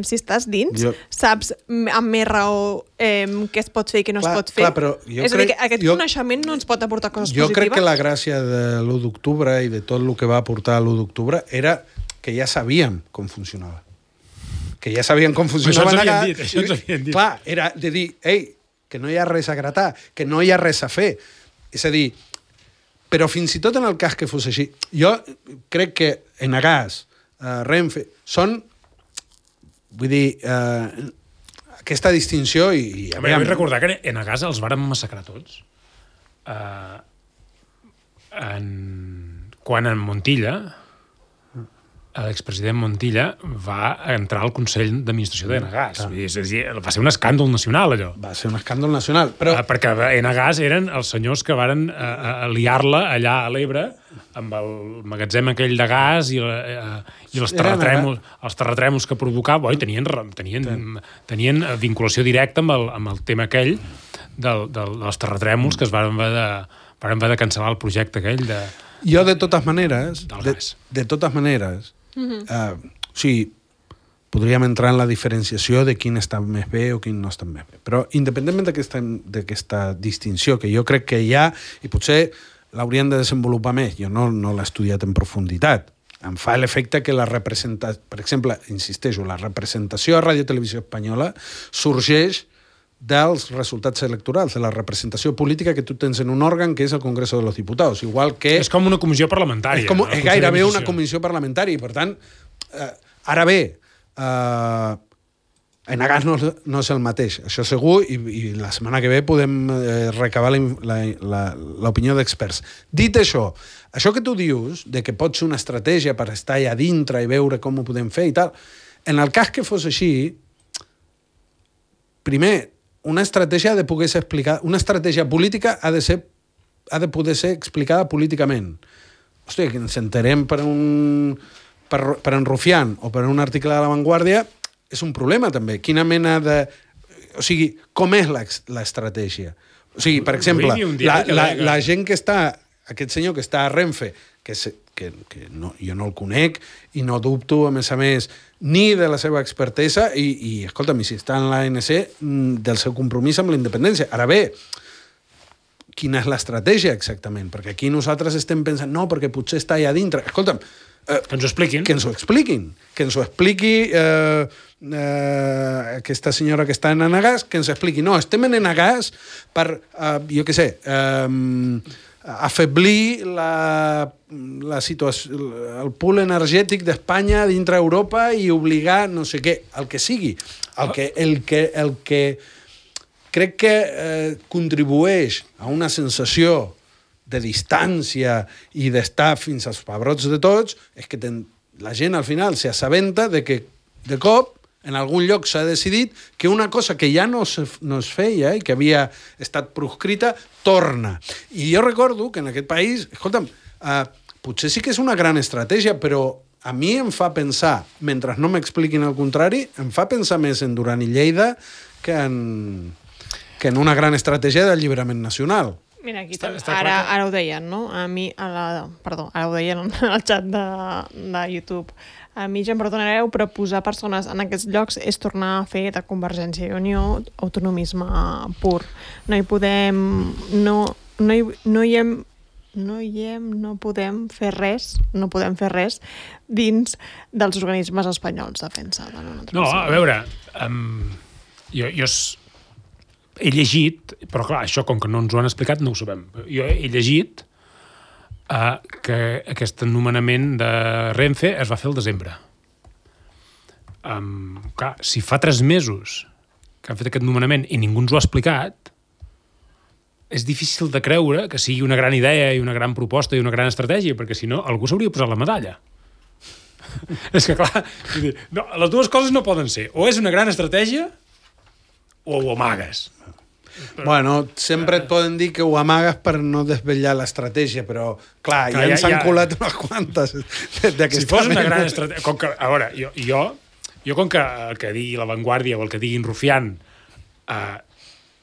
Si estàs dins, saps amb més raó què es pot fer i què no es pot fer. És a dir, que aquest coneixement no ens pot aportar coses positives. Jo crec que la gràcia de l'1 d'octubre i de tot el que va aportar l'1 d'octubre era que ja sabíem com funcionava. Que ja sabíem com funcionava. Això ens havien dit. Clar, era de dir, ei, que no hi ha res a gratar, que no hi ha res a fer. És a dir, però fins i tot en el cas que fos així, jo crec que Enagás, Renfe, són, vull dir, aquesta distinció i... Jo vull recordar que Enagás els varen massacrar tots. Quan en Montilla, l'expresident Montilla va entrar al Consell d'Administració d'Enagás. Va ser un escàndol nacional, allò. Va ser un escàndol nacional, però... Perquè Enagás eren els senyors que varen liar-la allà a l'Ebre amb el magatzem aquell de gas i els terratrèmols que provocava. Tenien vinculació directa amb el tema aquell dels terratrèmols que es varen haver de cancel·lar el projecte aquell de... Jo, de totes maneres, o sigui, podríem entrar en la diferenciació de quin està més bé o quin no està més bé. Però, independentment d'aquesta distinció que jo crec que hi ha, i potser l'haurien de desenvolupar més, jo no l'he estudiat en profunditat, em fa l'efecte que la representació, per exemple, insisteixo, la representació a Radio Televisió Espanyola sorgeix dels resultats electorals, de la representació política que tu tens en un òrgan que és el Congreso de los Diputados, igual que... És com una comissió parlamentària. És gairebé una comissió parlamentària, i per tant, ara bé, Enagás no és el mateix, això segur, i la setmana que ve podem recabar l'opinió d'experts. Dit això que tu dius, de que pot ser una estratègia per estar allà dintre i veure com ho podem fer i tal, en el cas que fos així, primer, una estratègia ha de poder ser explicada, una estratègia política ha de poder ser explicada políticament. Hòstia, que ens enterem per en Rufián o per un article de La Vanguardia és un problema, també. Quina mena de... O sigui, com és l'estratègia? O sigui, per exemple, la gent que està... Aquest senyor que està a Renfe, que jo no el conec i no dubto, a més, ni de la seva expertesa i escolta'm, si està en l'ANC, del seu compromís amb la independència. Ara bé, quina és l'estratègia exactament? Perquè aquí nosaltres estem pensant, no, perquè potser està allà dintre. Escolta'm, que ens ho expliquin. Que ens ho expliqui aquesta senyora que està en Enagás, que ens expliqui. No, estem en Enagás per, jo què sé, afeblir la situació, el pool energètic d'Espanya dintre Europa i obligar no sé què, el que sigui. El que crec que contribueix a una sensació de distància i d'estar fins als pebrots de tots és que la gent al final s'assabenta de que de cop en algun lloc s'ha decidit que una cosa que ja no es feia i que havia estat proscrita, torna. I jo recordo que en aquest país, escolta'm, potser sí que és una gran estratègia, però a mi em fa pensar, mentre no m'expliquin el contrari, em fa pensar més en Duran i Lleida que en una gran estratègia d'alliberament nacional. Mira, aquí ara ho deien, no? A mi, ara ho deien al xat de YouTube. A mi, ja em perdonareu, però posar persones en aquests llocs és tornar a fer de Convergència i Unió autonomisme pur. No hi podem... No podem fer res dins dels organismes espanyols, defensa. No, a veure, jo he llegit, però clar, això com que no ens ho han explicat no ho sabem. Jo he llegit que aquest nomenament de Renfe es va fer al desembre. Clar, si fa 3 mesos que han fet aquest nomenament i ningú ens ho ha explicat, és difícil de creure que sigui una gran idea i una gran proposta i una gran estratègia, perquè si no, algú s'hauria posat la medalla. És que, clar, no, les dues coses no poden ser. O és una gran estratègia o ho amagues. Bueno, sempre et poden dir que ho amagues per no desvetllar l'estratègia, però, clar, ja ens han colat unes quantes d'aquesta. Si fos una gran estratègia... A veure, jo com que el que digui La Vanguardia o el que diguin Rufián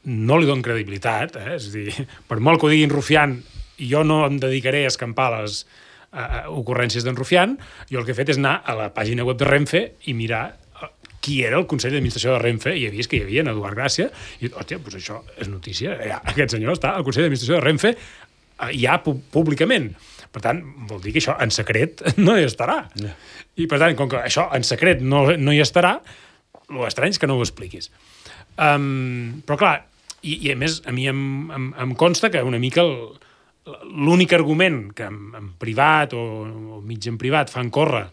no li dono credibilitat, és a dir, per molt que ho diguin Rufián, jo no em dedicaré a escampar les ocurrències d'en Rufián, jo el que he fet és anar a la pàgina web de Renfe i mirar qui era el Consell d'Administració de Renfe, i he vist que hi havia en Eduard Gràcia, i hòstia, doncs això és notícia, aquest senyor està al Consell d'Administració de Renfe ja públicament. Per tant, vol dir que això en secret no hi estarà. Yeah. I per tant, com que això en secret no hi estarà, l'estrany és que no ho expliquis. Però clar, i a més, a mi em consta que una mica l'únic argument que en privat o mig en privat fan córrer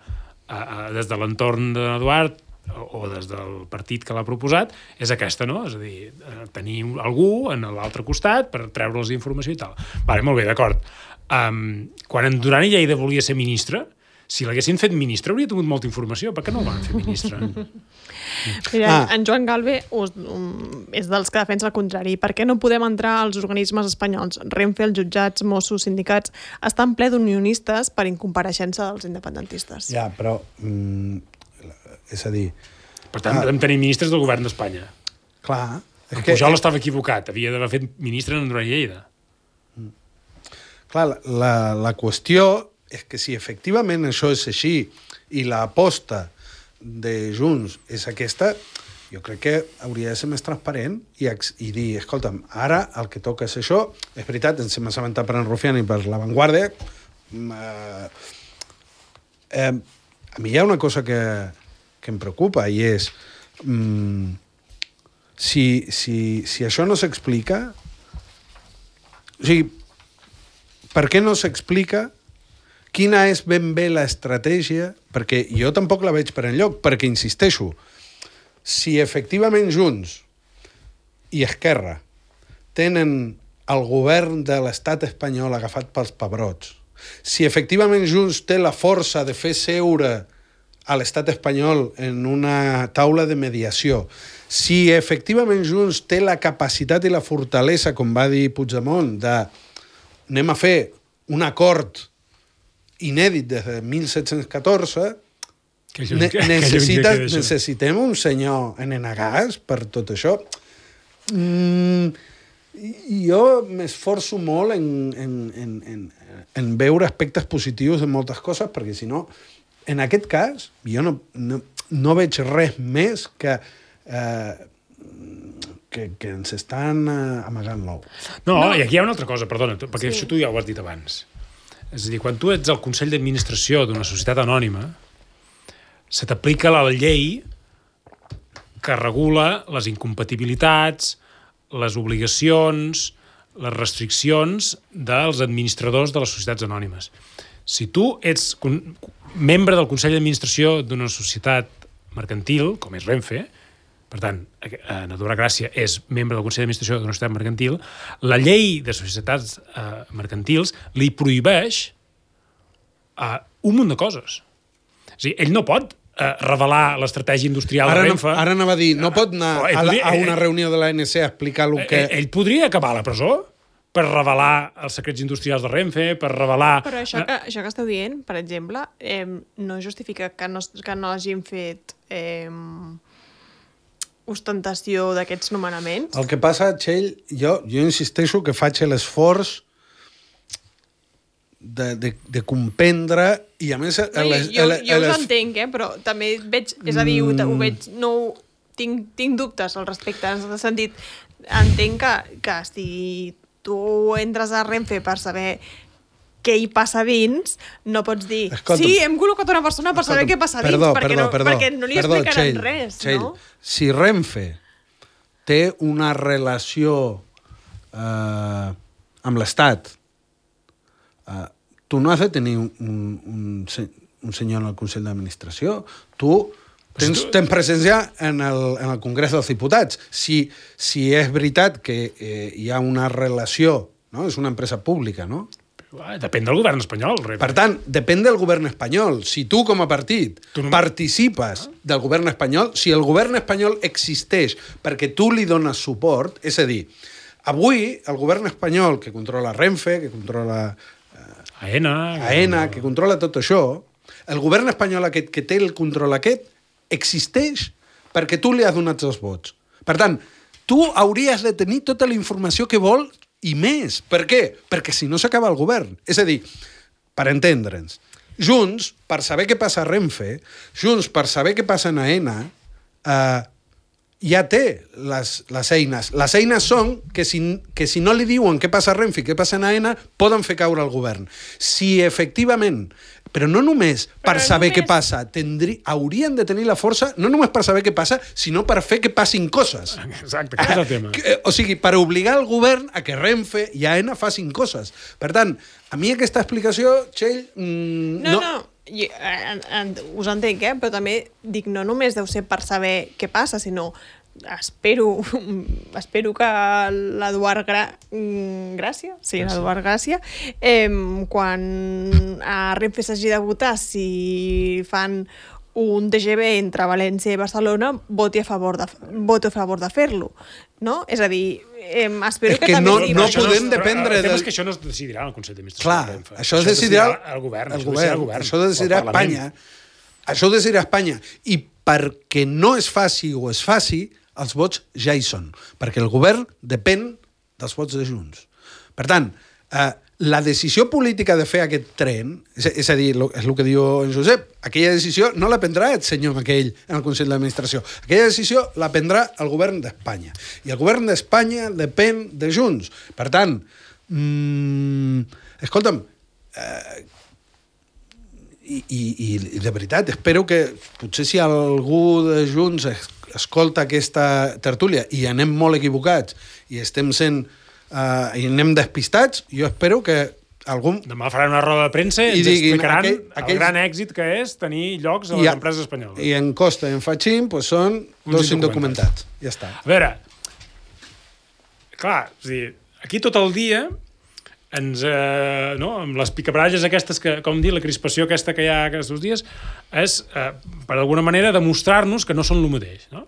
des de l'entorn d'Eduard o des del partit que l'ha proposat és aquesta, no? És a dir, tenir algú en l'altre costat per treure'ls informació i tal. Vale, molt bé, d'acord. Quan en Duran i Lleida volia ser ministre, si l'haguessin fet ministre hauria tingut molta informació. Per què no el van fer ministre? Mira, en Joan Galve és dels que defensa el contrari. Per què no podem entrar als organismes espanyols? Renfe, els jutjats, Mossos, sindicats, estan ple d'unionistes per incompareixença dels independentistes. Ja, però... és a dir... Per tant, podem tenir ministres del govern d'Espanya. Clar. Pujol estava equivocat. Havia d'haver fet ministre en Duran i Lleida. Clar, la qüestió és que si efectivament això és així i l'aposta de Junts és aquesta, jo crec que hauria de ser més transparent i dir, escolta'm, ara el que toca és això. És veritat, ens hem assabentat per en Rufián i per La Vanguardia. A mi hi ha una cosa que em preocupa i és si això no s'explica, o sigui, per què no s'explica quina és ben bé l'estratègia, perquè jo tampoc la veig per enlloc, perquè insisteixo, si efectivament Junts i Esquerra tenen el govern de l'estat espanyol agafat pels pebrots, si efectivament Junts té la força de fer seure a l'estat espanyol en una taula de mediació, si efectivament Junts té la capacitat i la fortalesa, com va dir Puigdemont, de anem a fer un acord inèdit des de 1714, necessitem un senyor en Enagàs per tot això. Jo m'esforço molt en veure aspectes positius en moltes coses, perquè si no, en aquest cas, jo no veig res més que ens estan amagant l'ou. No, i aquí hi ha una altra cosa, perdona, perquè això tu ja ho has dit abans. És a dir, quan tu ets el Consell d'Administració d'una societat anònima, se t'aplica la llei que regula les incompatibilitats, les obligacions, les restriccions dels administradors de les societats anònimes. Si tu ets membre del Consell d'Administració d'una societat mercantil, com és Renfe, per tant, en Eduard Gràcia és membre del Consell d'Administració d'una societat mercantil, la llei de societats mercantils li prohibeix un munt de coses. És a dir, ell no pot revelar l'estratègia industrial de Renfe... Ara anava a dir, no pot anar a una reunió de l'ANC a explicar el que... Ell podria acabar a la presó per revelar els secrets industrials de Renfe, per revelar... Però això que esteu dient, per exemple, no justifica que no hagin fet ostentació d'aquests nomenaments. El que passa, Txell, jo insisteixo que faig l'esforç de comprendre i a més... Jo us entenc, però també veig, és a dir, ho veig, tinc dubtes al respecte, en el sentit, entenc que si tu entres a Renfe per saber què hi passa dins, no pots dir, sí, hem col·locat una persona per saber què passa dins, perquè no li explicaran res, no? Si Renfe té una relació amb l'Estat, tu no has de tenir un senyor en el Consell d'Administració. Tu tens presència en el Congrés dels Diputats. Si és veritat que hi ha una relació, no? És una empresa pública, no? Depèn del govern espanyol. Per tant, depèn del govern espanyol. Si tu, com a partit, participes del govern espanyol, si el govern espanyol existeix perquè tu li dones suport, és a dir, avui el govern espanyol que controla Renfe, que controla AENA, que controla tot això, el govern espanyol aquest que té el control aquest existeix perquè tu li has donat els vots. Per tant, tu hauries de tenir tota la informació que vol i més. Per què? Perquè si no s'acaba el govern. És a dir, per entendre'ns, Junts, per saber què passa a Renfe, Junts, per saber què passa a AENA, ja té les eines. Les eines són que si no li diuen què passa a Renfe i què passa a AENA, poden fer caure el govern. Si efectivament, però no només per saber què passa, haurien de tenir la força, no només per saber què passa, sinó per fer que passin coses. Exacte, aquest és el tema. O sigui, per obligar el govern a que Renfe i AENA facin coses. Per tant, a mi aquesta explicació, Txell... No. Us entenc, però també dic, no només deu ser per saber què passa, sinó espero que l'Eduard Gràcia, l'Eduard Gràcia, quan a Renfe s'hagi de votar si fan un TGV entre València i Barcelona, voti a favor de fer-lo, no? És a dir, espero que també... No podem dependre... El tema és que això no es decidirà al Consell d'Administració. Clar, això es decidirà el govern. Això ho decidirà Espanya. Això ho decidirà Espanya. I perquè no es faci o es faci, els vots ja hi són. Perquè el govern depèn dels vots de Junts. Per tant, la decisió política de fer aquest tren, és a dir, és el que diu en Josep, aquella decisió no la prendrà el senyor aquell en el Consell d'Administració. Aquella decisió la prendrà el govern d'Espanya. I el govern d'Espanya depèn de Junts. Per tant, escolta'm, i de veritat, espero que potser si algú de Junts escolta aquesta tertúlia i anem molt equivocats i estem sent i anem despistats, jo espero que algú... Demà faran una roda de premsa i ens explicaran el gran èxit que és tenir llocs a les empreses espanyoles. I en Costa i en Fachín són dos indocumentats. Ja està. A veure, clar, aquí tot el dia amb les picabaralles aquestes, com dir, la crispació aquesta que hi ha aquests dies, és, per alguna manera, demostrar-nos que no són el mateix, no?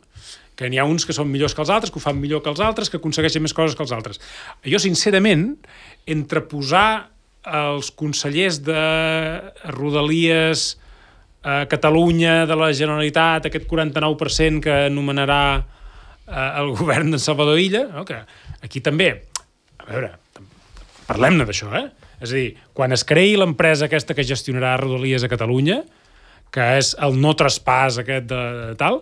Que n'hi ha uns que són millors que els altres, que ho fan millor que els altres, que aconsegueixen més coses que els altres. Jo, sincerament, entre posar els consellers de Rodalies a Catalunya, de la Generalitat, aquest 49% que anomenarà el govern de Salvador Illa, no? Que aquí també, a veure, parlem-ne d'això, És a dir, quan es creï l'empresa aquesta que gestionarà Rodalies a Catalunya, que és el no traspàs aquest de tal,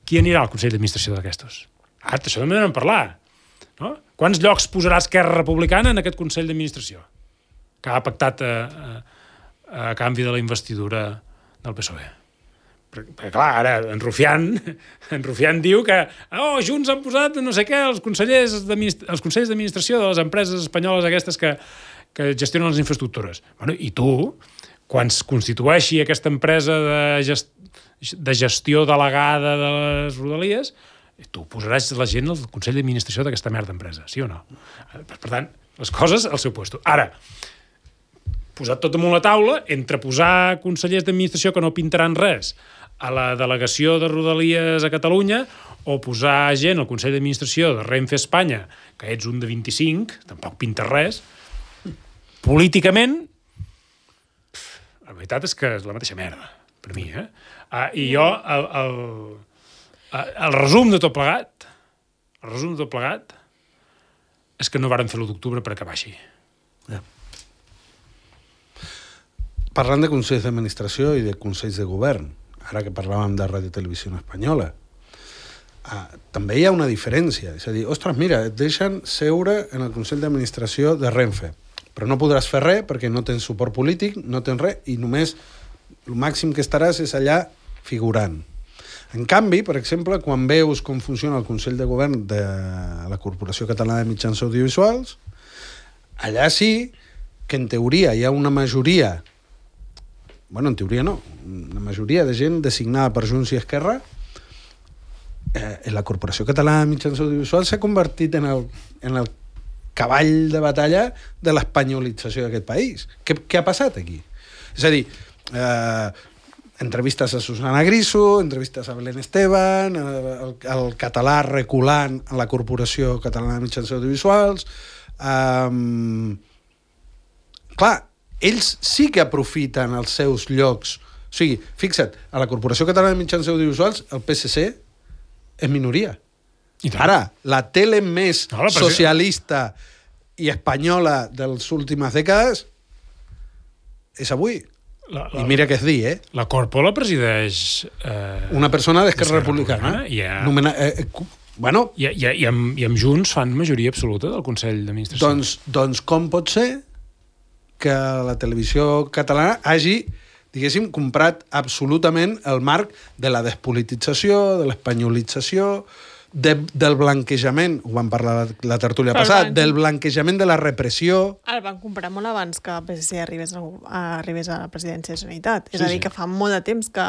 qui anirà al Consell d'Administració d'aquestos? Això també n'hem parlat. No? Quants llocs posarà Esquerra Republicana en aquest Consell d'Administració que ha pactat a canvi de la investidura del PSOE? Perquè clar, ara en Rufián diu que Junts han posat no sé què els consells d'administració de les empreses espanyoles aquestes que gestionen les infraestructures. Bueno, i tu, quan es constitueixi aquesta empresa de gestió delegada de les Rodalies, tu posaràs la gent al Consell d'Administració d'aquesta merda d'empresa, sí o no? Per tant, les coses al seu lloc. Ara, posat tot damunt la taula, entre posar consellers d'administració que no pintaran res a la delegació de Rodalies a Catalunya o posar gent al Consell d'Administració de Renfe Espanya, que ets un de 25, tampoc pinta res, políticament, la veritat és que és la mateixa merda, per mi, I jo, el resum de tot plegat, és que no varen fer l'1 d'octubre per acabar així. Ja. Parlant de consells d'administració i de consells de govern, ara que parlàvem de Ràdio Televisió Espanyola, també hi ha una diferència. És a dir, ostres, mira, et deixen seure en el Consell d'Administració de Renfe, però no podràs fer res perquè no tens suport polític, no tens res, i només el màxim que estaràs és allà figurant. En canvi, per exemple, quan veus com funciona el Consell de Govern de la Corporació Catalana de Mitjans Audiovisuals, allà sí que en teoria hi ha una majoria, bueno, en teoria no, una majoria de gent designada per Junts i Esquerra, la Corporació Catalana de Mitjans Audiovisuals s'ha convertit en el cavall de batalla de l'espanyolització d'aquest país. Què ha passat aquí? És a dir, entrevistes a Susana Griso, entrevistes a Belén Esteban, el català reculant a la Corporació Catalana de Mitjans Audiovisuals. Clar, ells sí que aprofiten els seus llocs. O sigui, fixa't, a la Corporació Catalana de Mitjans Audiovisuals el PSC és minoria. Ara, la tele més socialista i espanyola de les últimes dècades és avui. I mira què és dir, La Corpo la presideix... una persona d'Esquerra Republicana. Bueno, I amb Junts fan majoria absoluta del Consell d'Administració. Doncs com pot ser que la televisió catalana hagi, diguéssim, comprat absolutament el marc de la despolitització, de l'espanyolització, del blanquejament, ho vam parlar la tertúlia passada, del blanquejament de la repressió. El van comprar molt abans que el PSC arribés a la presidència de la Generalitat. És a dir, que fa molt de temps que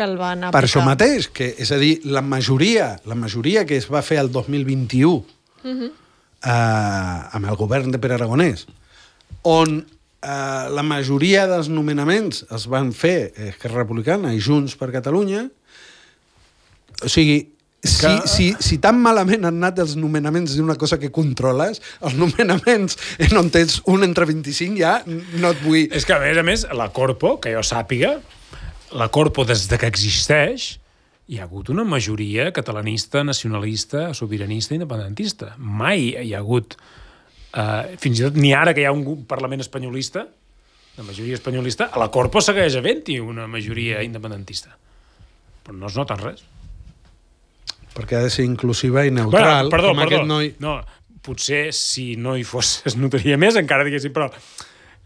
el van aplicar. Per això mateix, és a dir, la majoria que es va fer el 2021 amb el govern de Pere Aragonès, on la majoria dels nomenaments els van fer Esquerra Republicana i Junts per Catalunya, o sigui, si tan malament han anat els nomenaments d'una cosa que controles, els nomenaments on tens un entre 25 ja no et vull... És que, a més, la Corpo, que jo sàpiga, la Corpo, des de que existeix, hi ha hagut una majoria catalanista, nacionalista, sobiranista i independentista. Mai hi ha hagut... fins i tot ni ara que hi ha un Parlament espanyolista, la majoria espanyolista, a la Corpo segueix havent-hi una majoria independentista. Però no es nota res. Perquè ha de ser inclusiva i neutral. Perdó. Aquest noi... No, potser si no hi fos es notaria més, encara diguéssim, però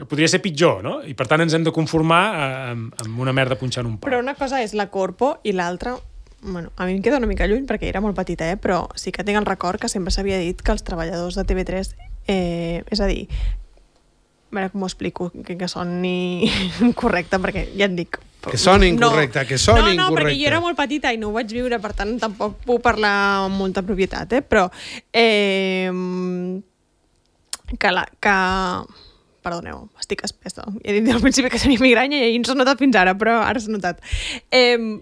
podria ser pitjor, no? I per tant ens hem de conformar amb una merda punxant un pal. Però una cosa és la Corpo i l'altra... Bueno, a mi em queda una mica lluny perquè era molt petita, però sí que tinc el record que sempre s'havia dit que els treballadors de TV3, és a dir, a veure com ho explico, que soni correcte, perquè ja et dic... Que soni incorrecte, que soni incorrecte. No, perquè jo era molt petita i no ho vaig viure, per tant tampoc puc parlar amb molta propietat, però perdoneu, estic espessa. He dit al principi que tenia migranya i no s'ha notat fins ara, però ara s'ha notat.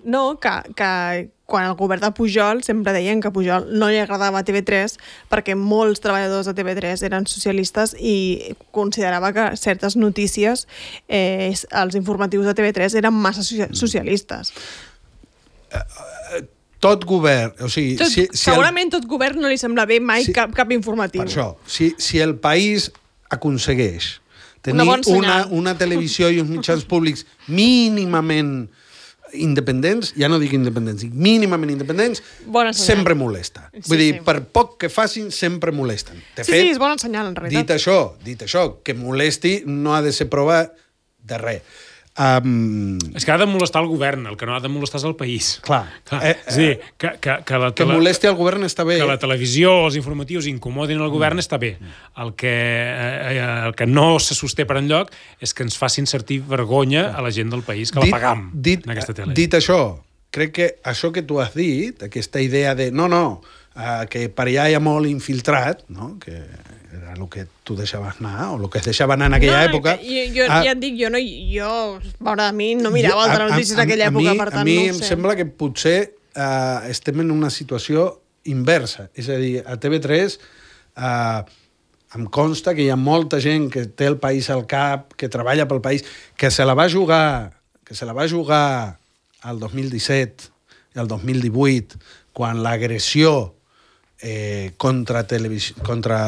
No, que quan el govern de Pujol sempre deien que a Pujol no li agradava TV3 perquè molts treballadors de TV3 eren socialistes i considerava que certes notícies, els informatius de TV3 eren massa socialistes. Tot govern... O sigui, segurament tot govern no li sembla bé mai cap informatiu. Per això, si el país aconsegueix tenir una televisió i uns mitjans públics mínimament independents, ja no dic independents, dic mínimament independents, sempre molesta. Vull dir, per poc que facin, sempre molesten. De fet, és bon senyal, en realitat. Dit això, que molesti no ha de ser prova de res. És que ha de molestar el govern, el que no ha de molestar és el país. Clar. És a dir, que molesti el govern està bé. Que la televisió o els informatius incomodin el govern està bé. El que no se sosté per enlloc és que ens facin sentir vergonya a la gent del país, que la pagam en aquesta tele. Dit això, crec que això que tu has dit, aquesta idea de que per allà hi ha molt infiltrat, no? Que era el que tu deixaves anar, o el que es deixava anar en aquella època. Jo ja et dic, jo, veure, a mi no mirava altres notícies d'aquella època, per tant, a mi no ho em sé. sembla que potser estem en una situació inversa. És a dir, a TV3 em consta que hi ha molta gent que té el país al cap, que treballa pel país, que se la va jugar al 2017 i al 2018, quan l'agressió contra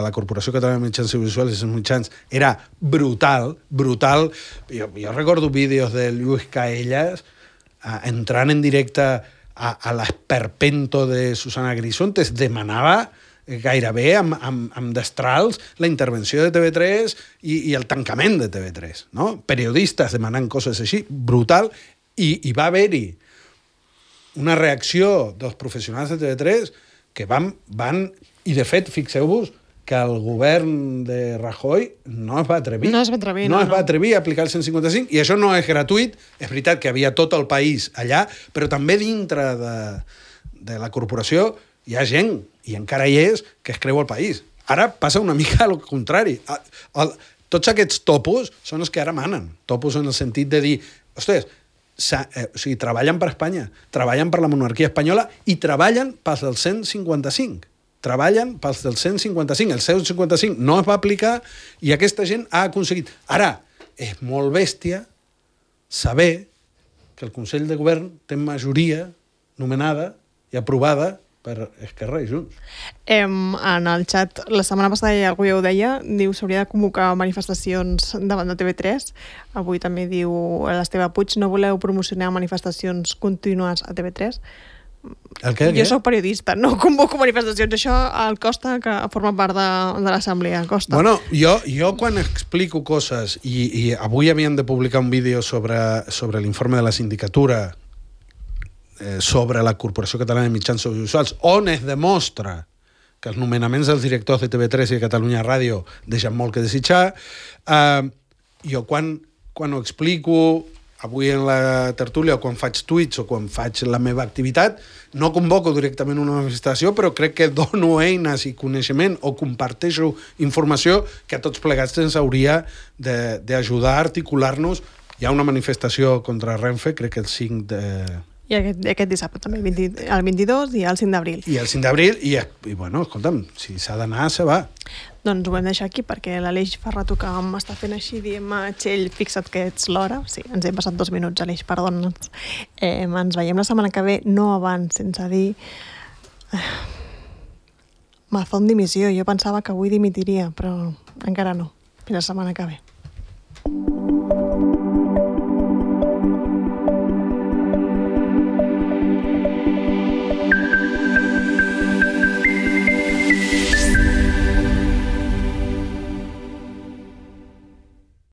la Corporació Catalana de Mitjans Audiovisuals i els mitjans era brutal. Jo recordo vídeos de Lluís Caellas entrant en directe a l'esperpento de Susana Grisontes, demanava gairebé amb destrals la intervenció de TV3 i el tancament de TV3, no? Periodistes demanant coses així, brutal, i va haver-hi una reacció dels professionals de TV3 que van i de fet, fixeu-vos que el govern de Rajoy no es va atrevir. No es va atrevir, no es va atrevir a aplicar el 155, i això no és gratuït. És veritat que havia tot el país allà, però també dintre de la corporació hi ha gent, i encara hi és, que es creu el país. Ara passa una mica al contrari. Tots aquests topos són els que ara manen. Topos en el sentit de dir, ostres, o sigui, treballen per Espanya, treballen per la monarquia espanyola i treballen pels del 155. Treballen pels del 155. El 155 no es va aplicar i aquesta gent ha aconseguit. Ara, és molt bèstia saber que el Consell de Govern té majoria nomenada i aprovada per Esquerra i Junts. En el xat, la setmana passada algú ja ho deia, diu s'hauria de convocar manifestacions davant de TV3. Avui també diu l'Esteve Puig, no voleu promocionar manifestacions contínues a TV3? El què? Jo soc periodista, no convoco manifestacions. Això al Costa, que forma part de l'Assemblea. Costa. Bueno, jo quan explico coses, i avui havien de publicar un vídeo sobre l'informe de la sindicatura sobre la Corporació Catalana de Mitjans Audiovisuals, on es demostra que els nomenaments dels directors de TV3 i de Catalunya Ràdio deixen molt que desitjar. Jo quan ho explico avui en la tertúlia, o quan faig tuits, o quan faig la meva activitat, no convoco directament una manifestació, però crec que dono eines i coneixement o comparteixo informació que a tots plegats ens hauria d'ajudar a articular-nos. Hi ha una manifestació contra Renfe, crec que el 5 de... I aquest dissabte també, el 22 i el 5 d'abril. I el 5 d'abril, i bueno, escolta'm, si s'ha d'anar, se va. Doncs ho hem deixat aquí, perquè l'Aleix fa rato que m'està fent així, diem, Txell, fixa't que ets l'hora. Sí, ens hem passat 2 minuts, Aleix, perdona'ns. Ens veiem la setmana que ve, no abans, sense dir... Mazón dimissió, jo pensava que avui dimitiria, però encara no. Fins la setmana que ve.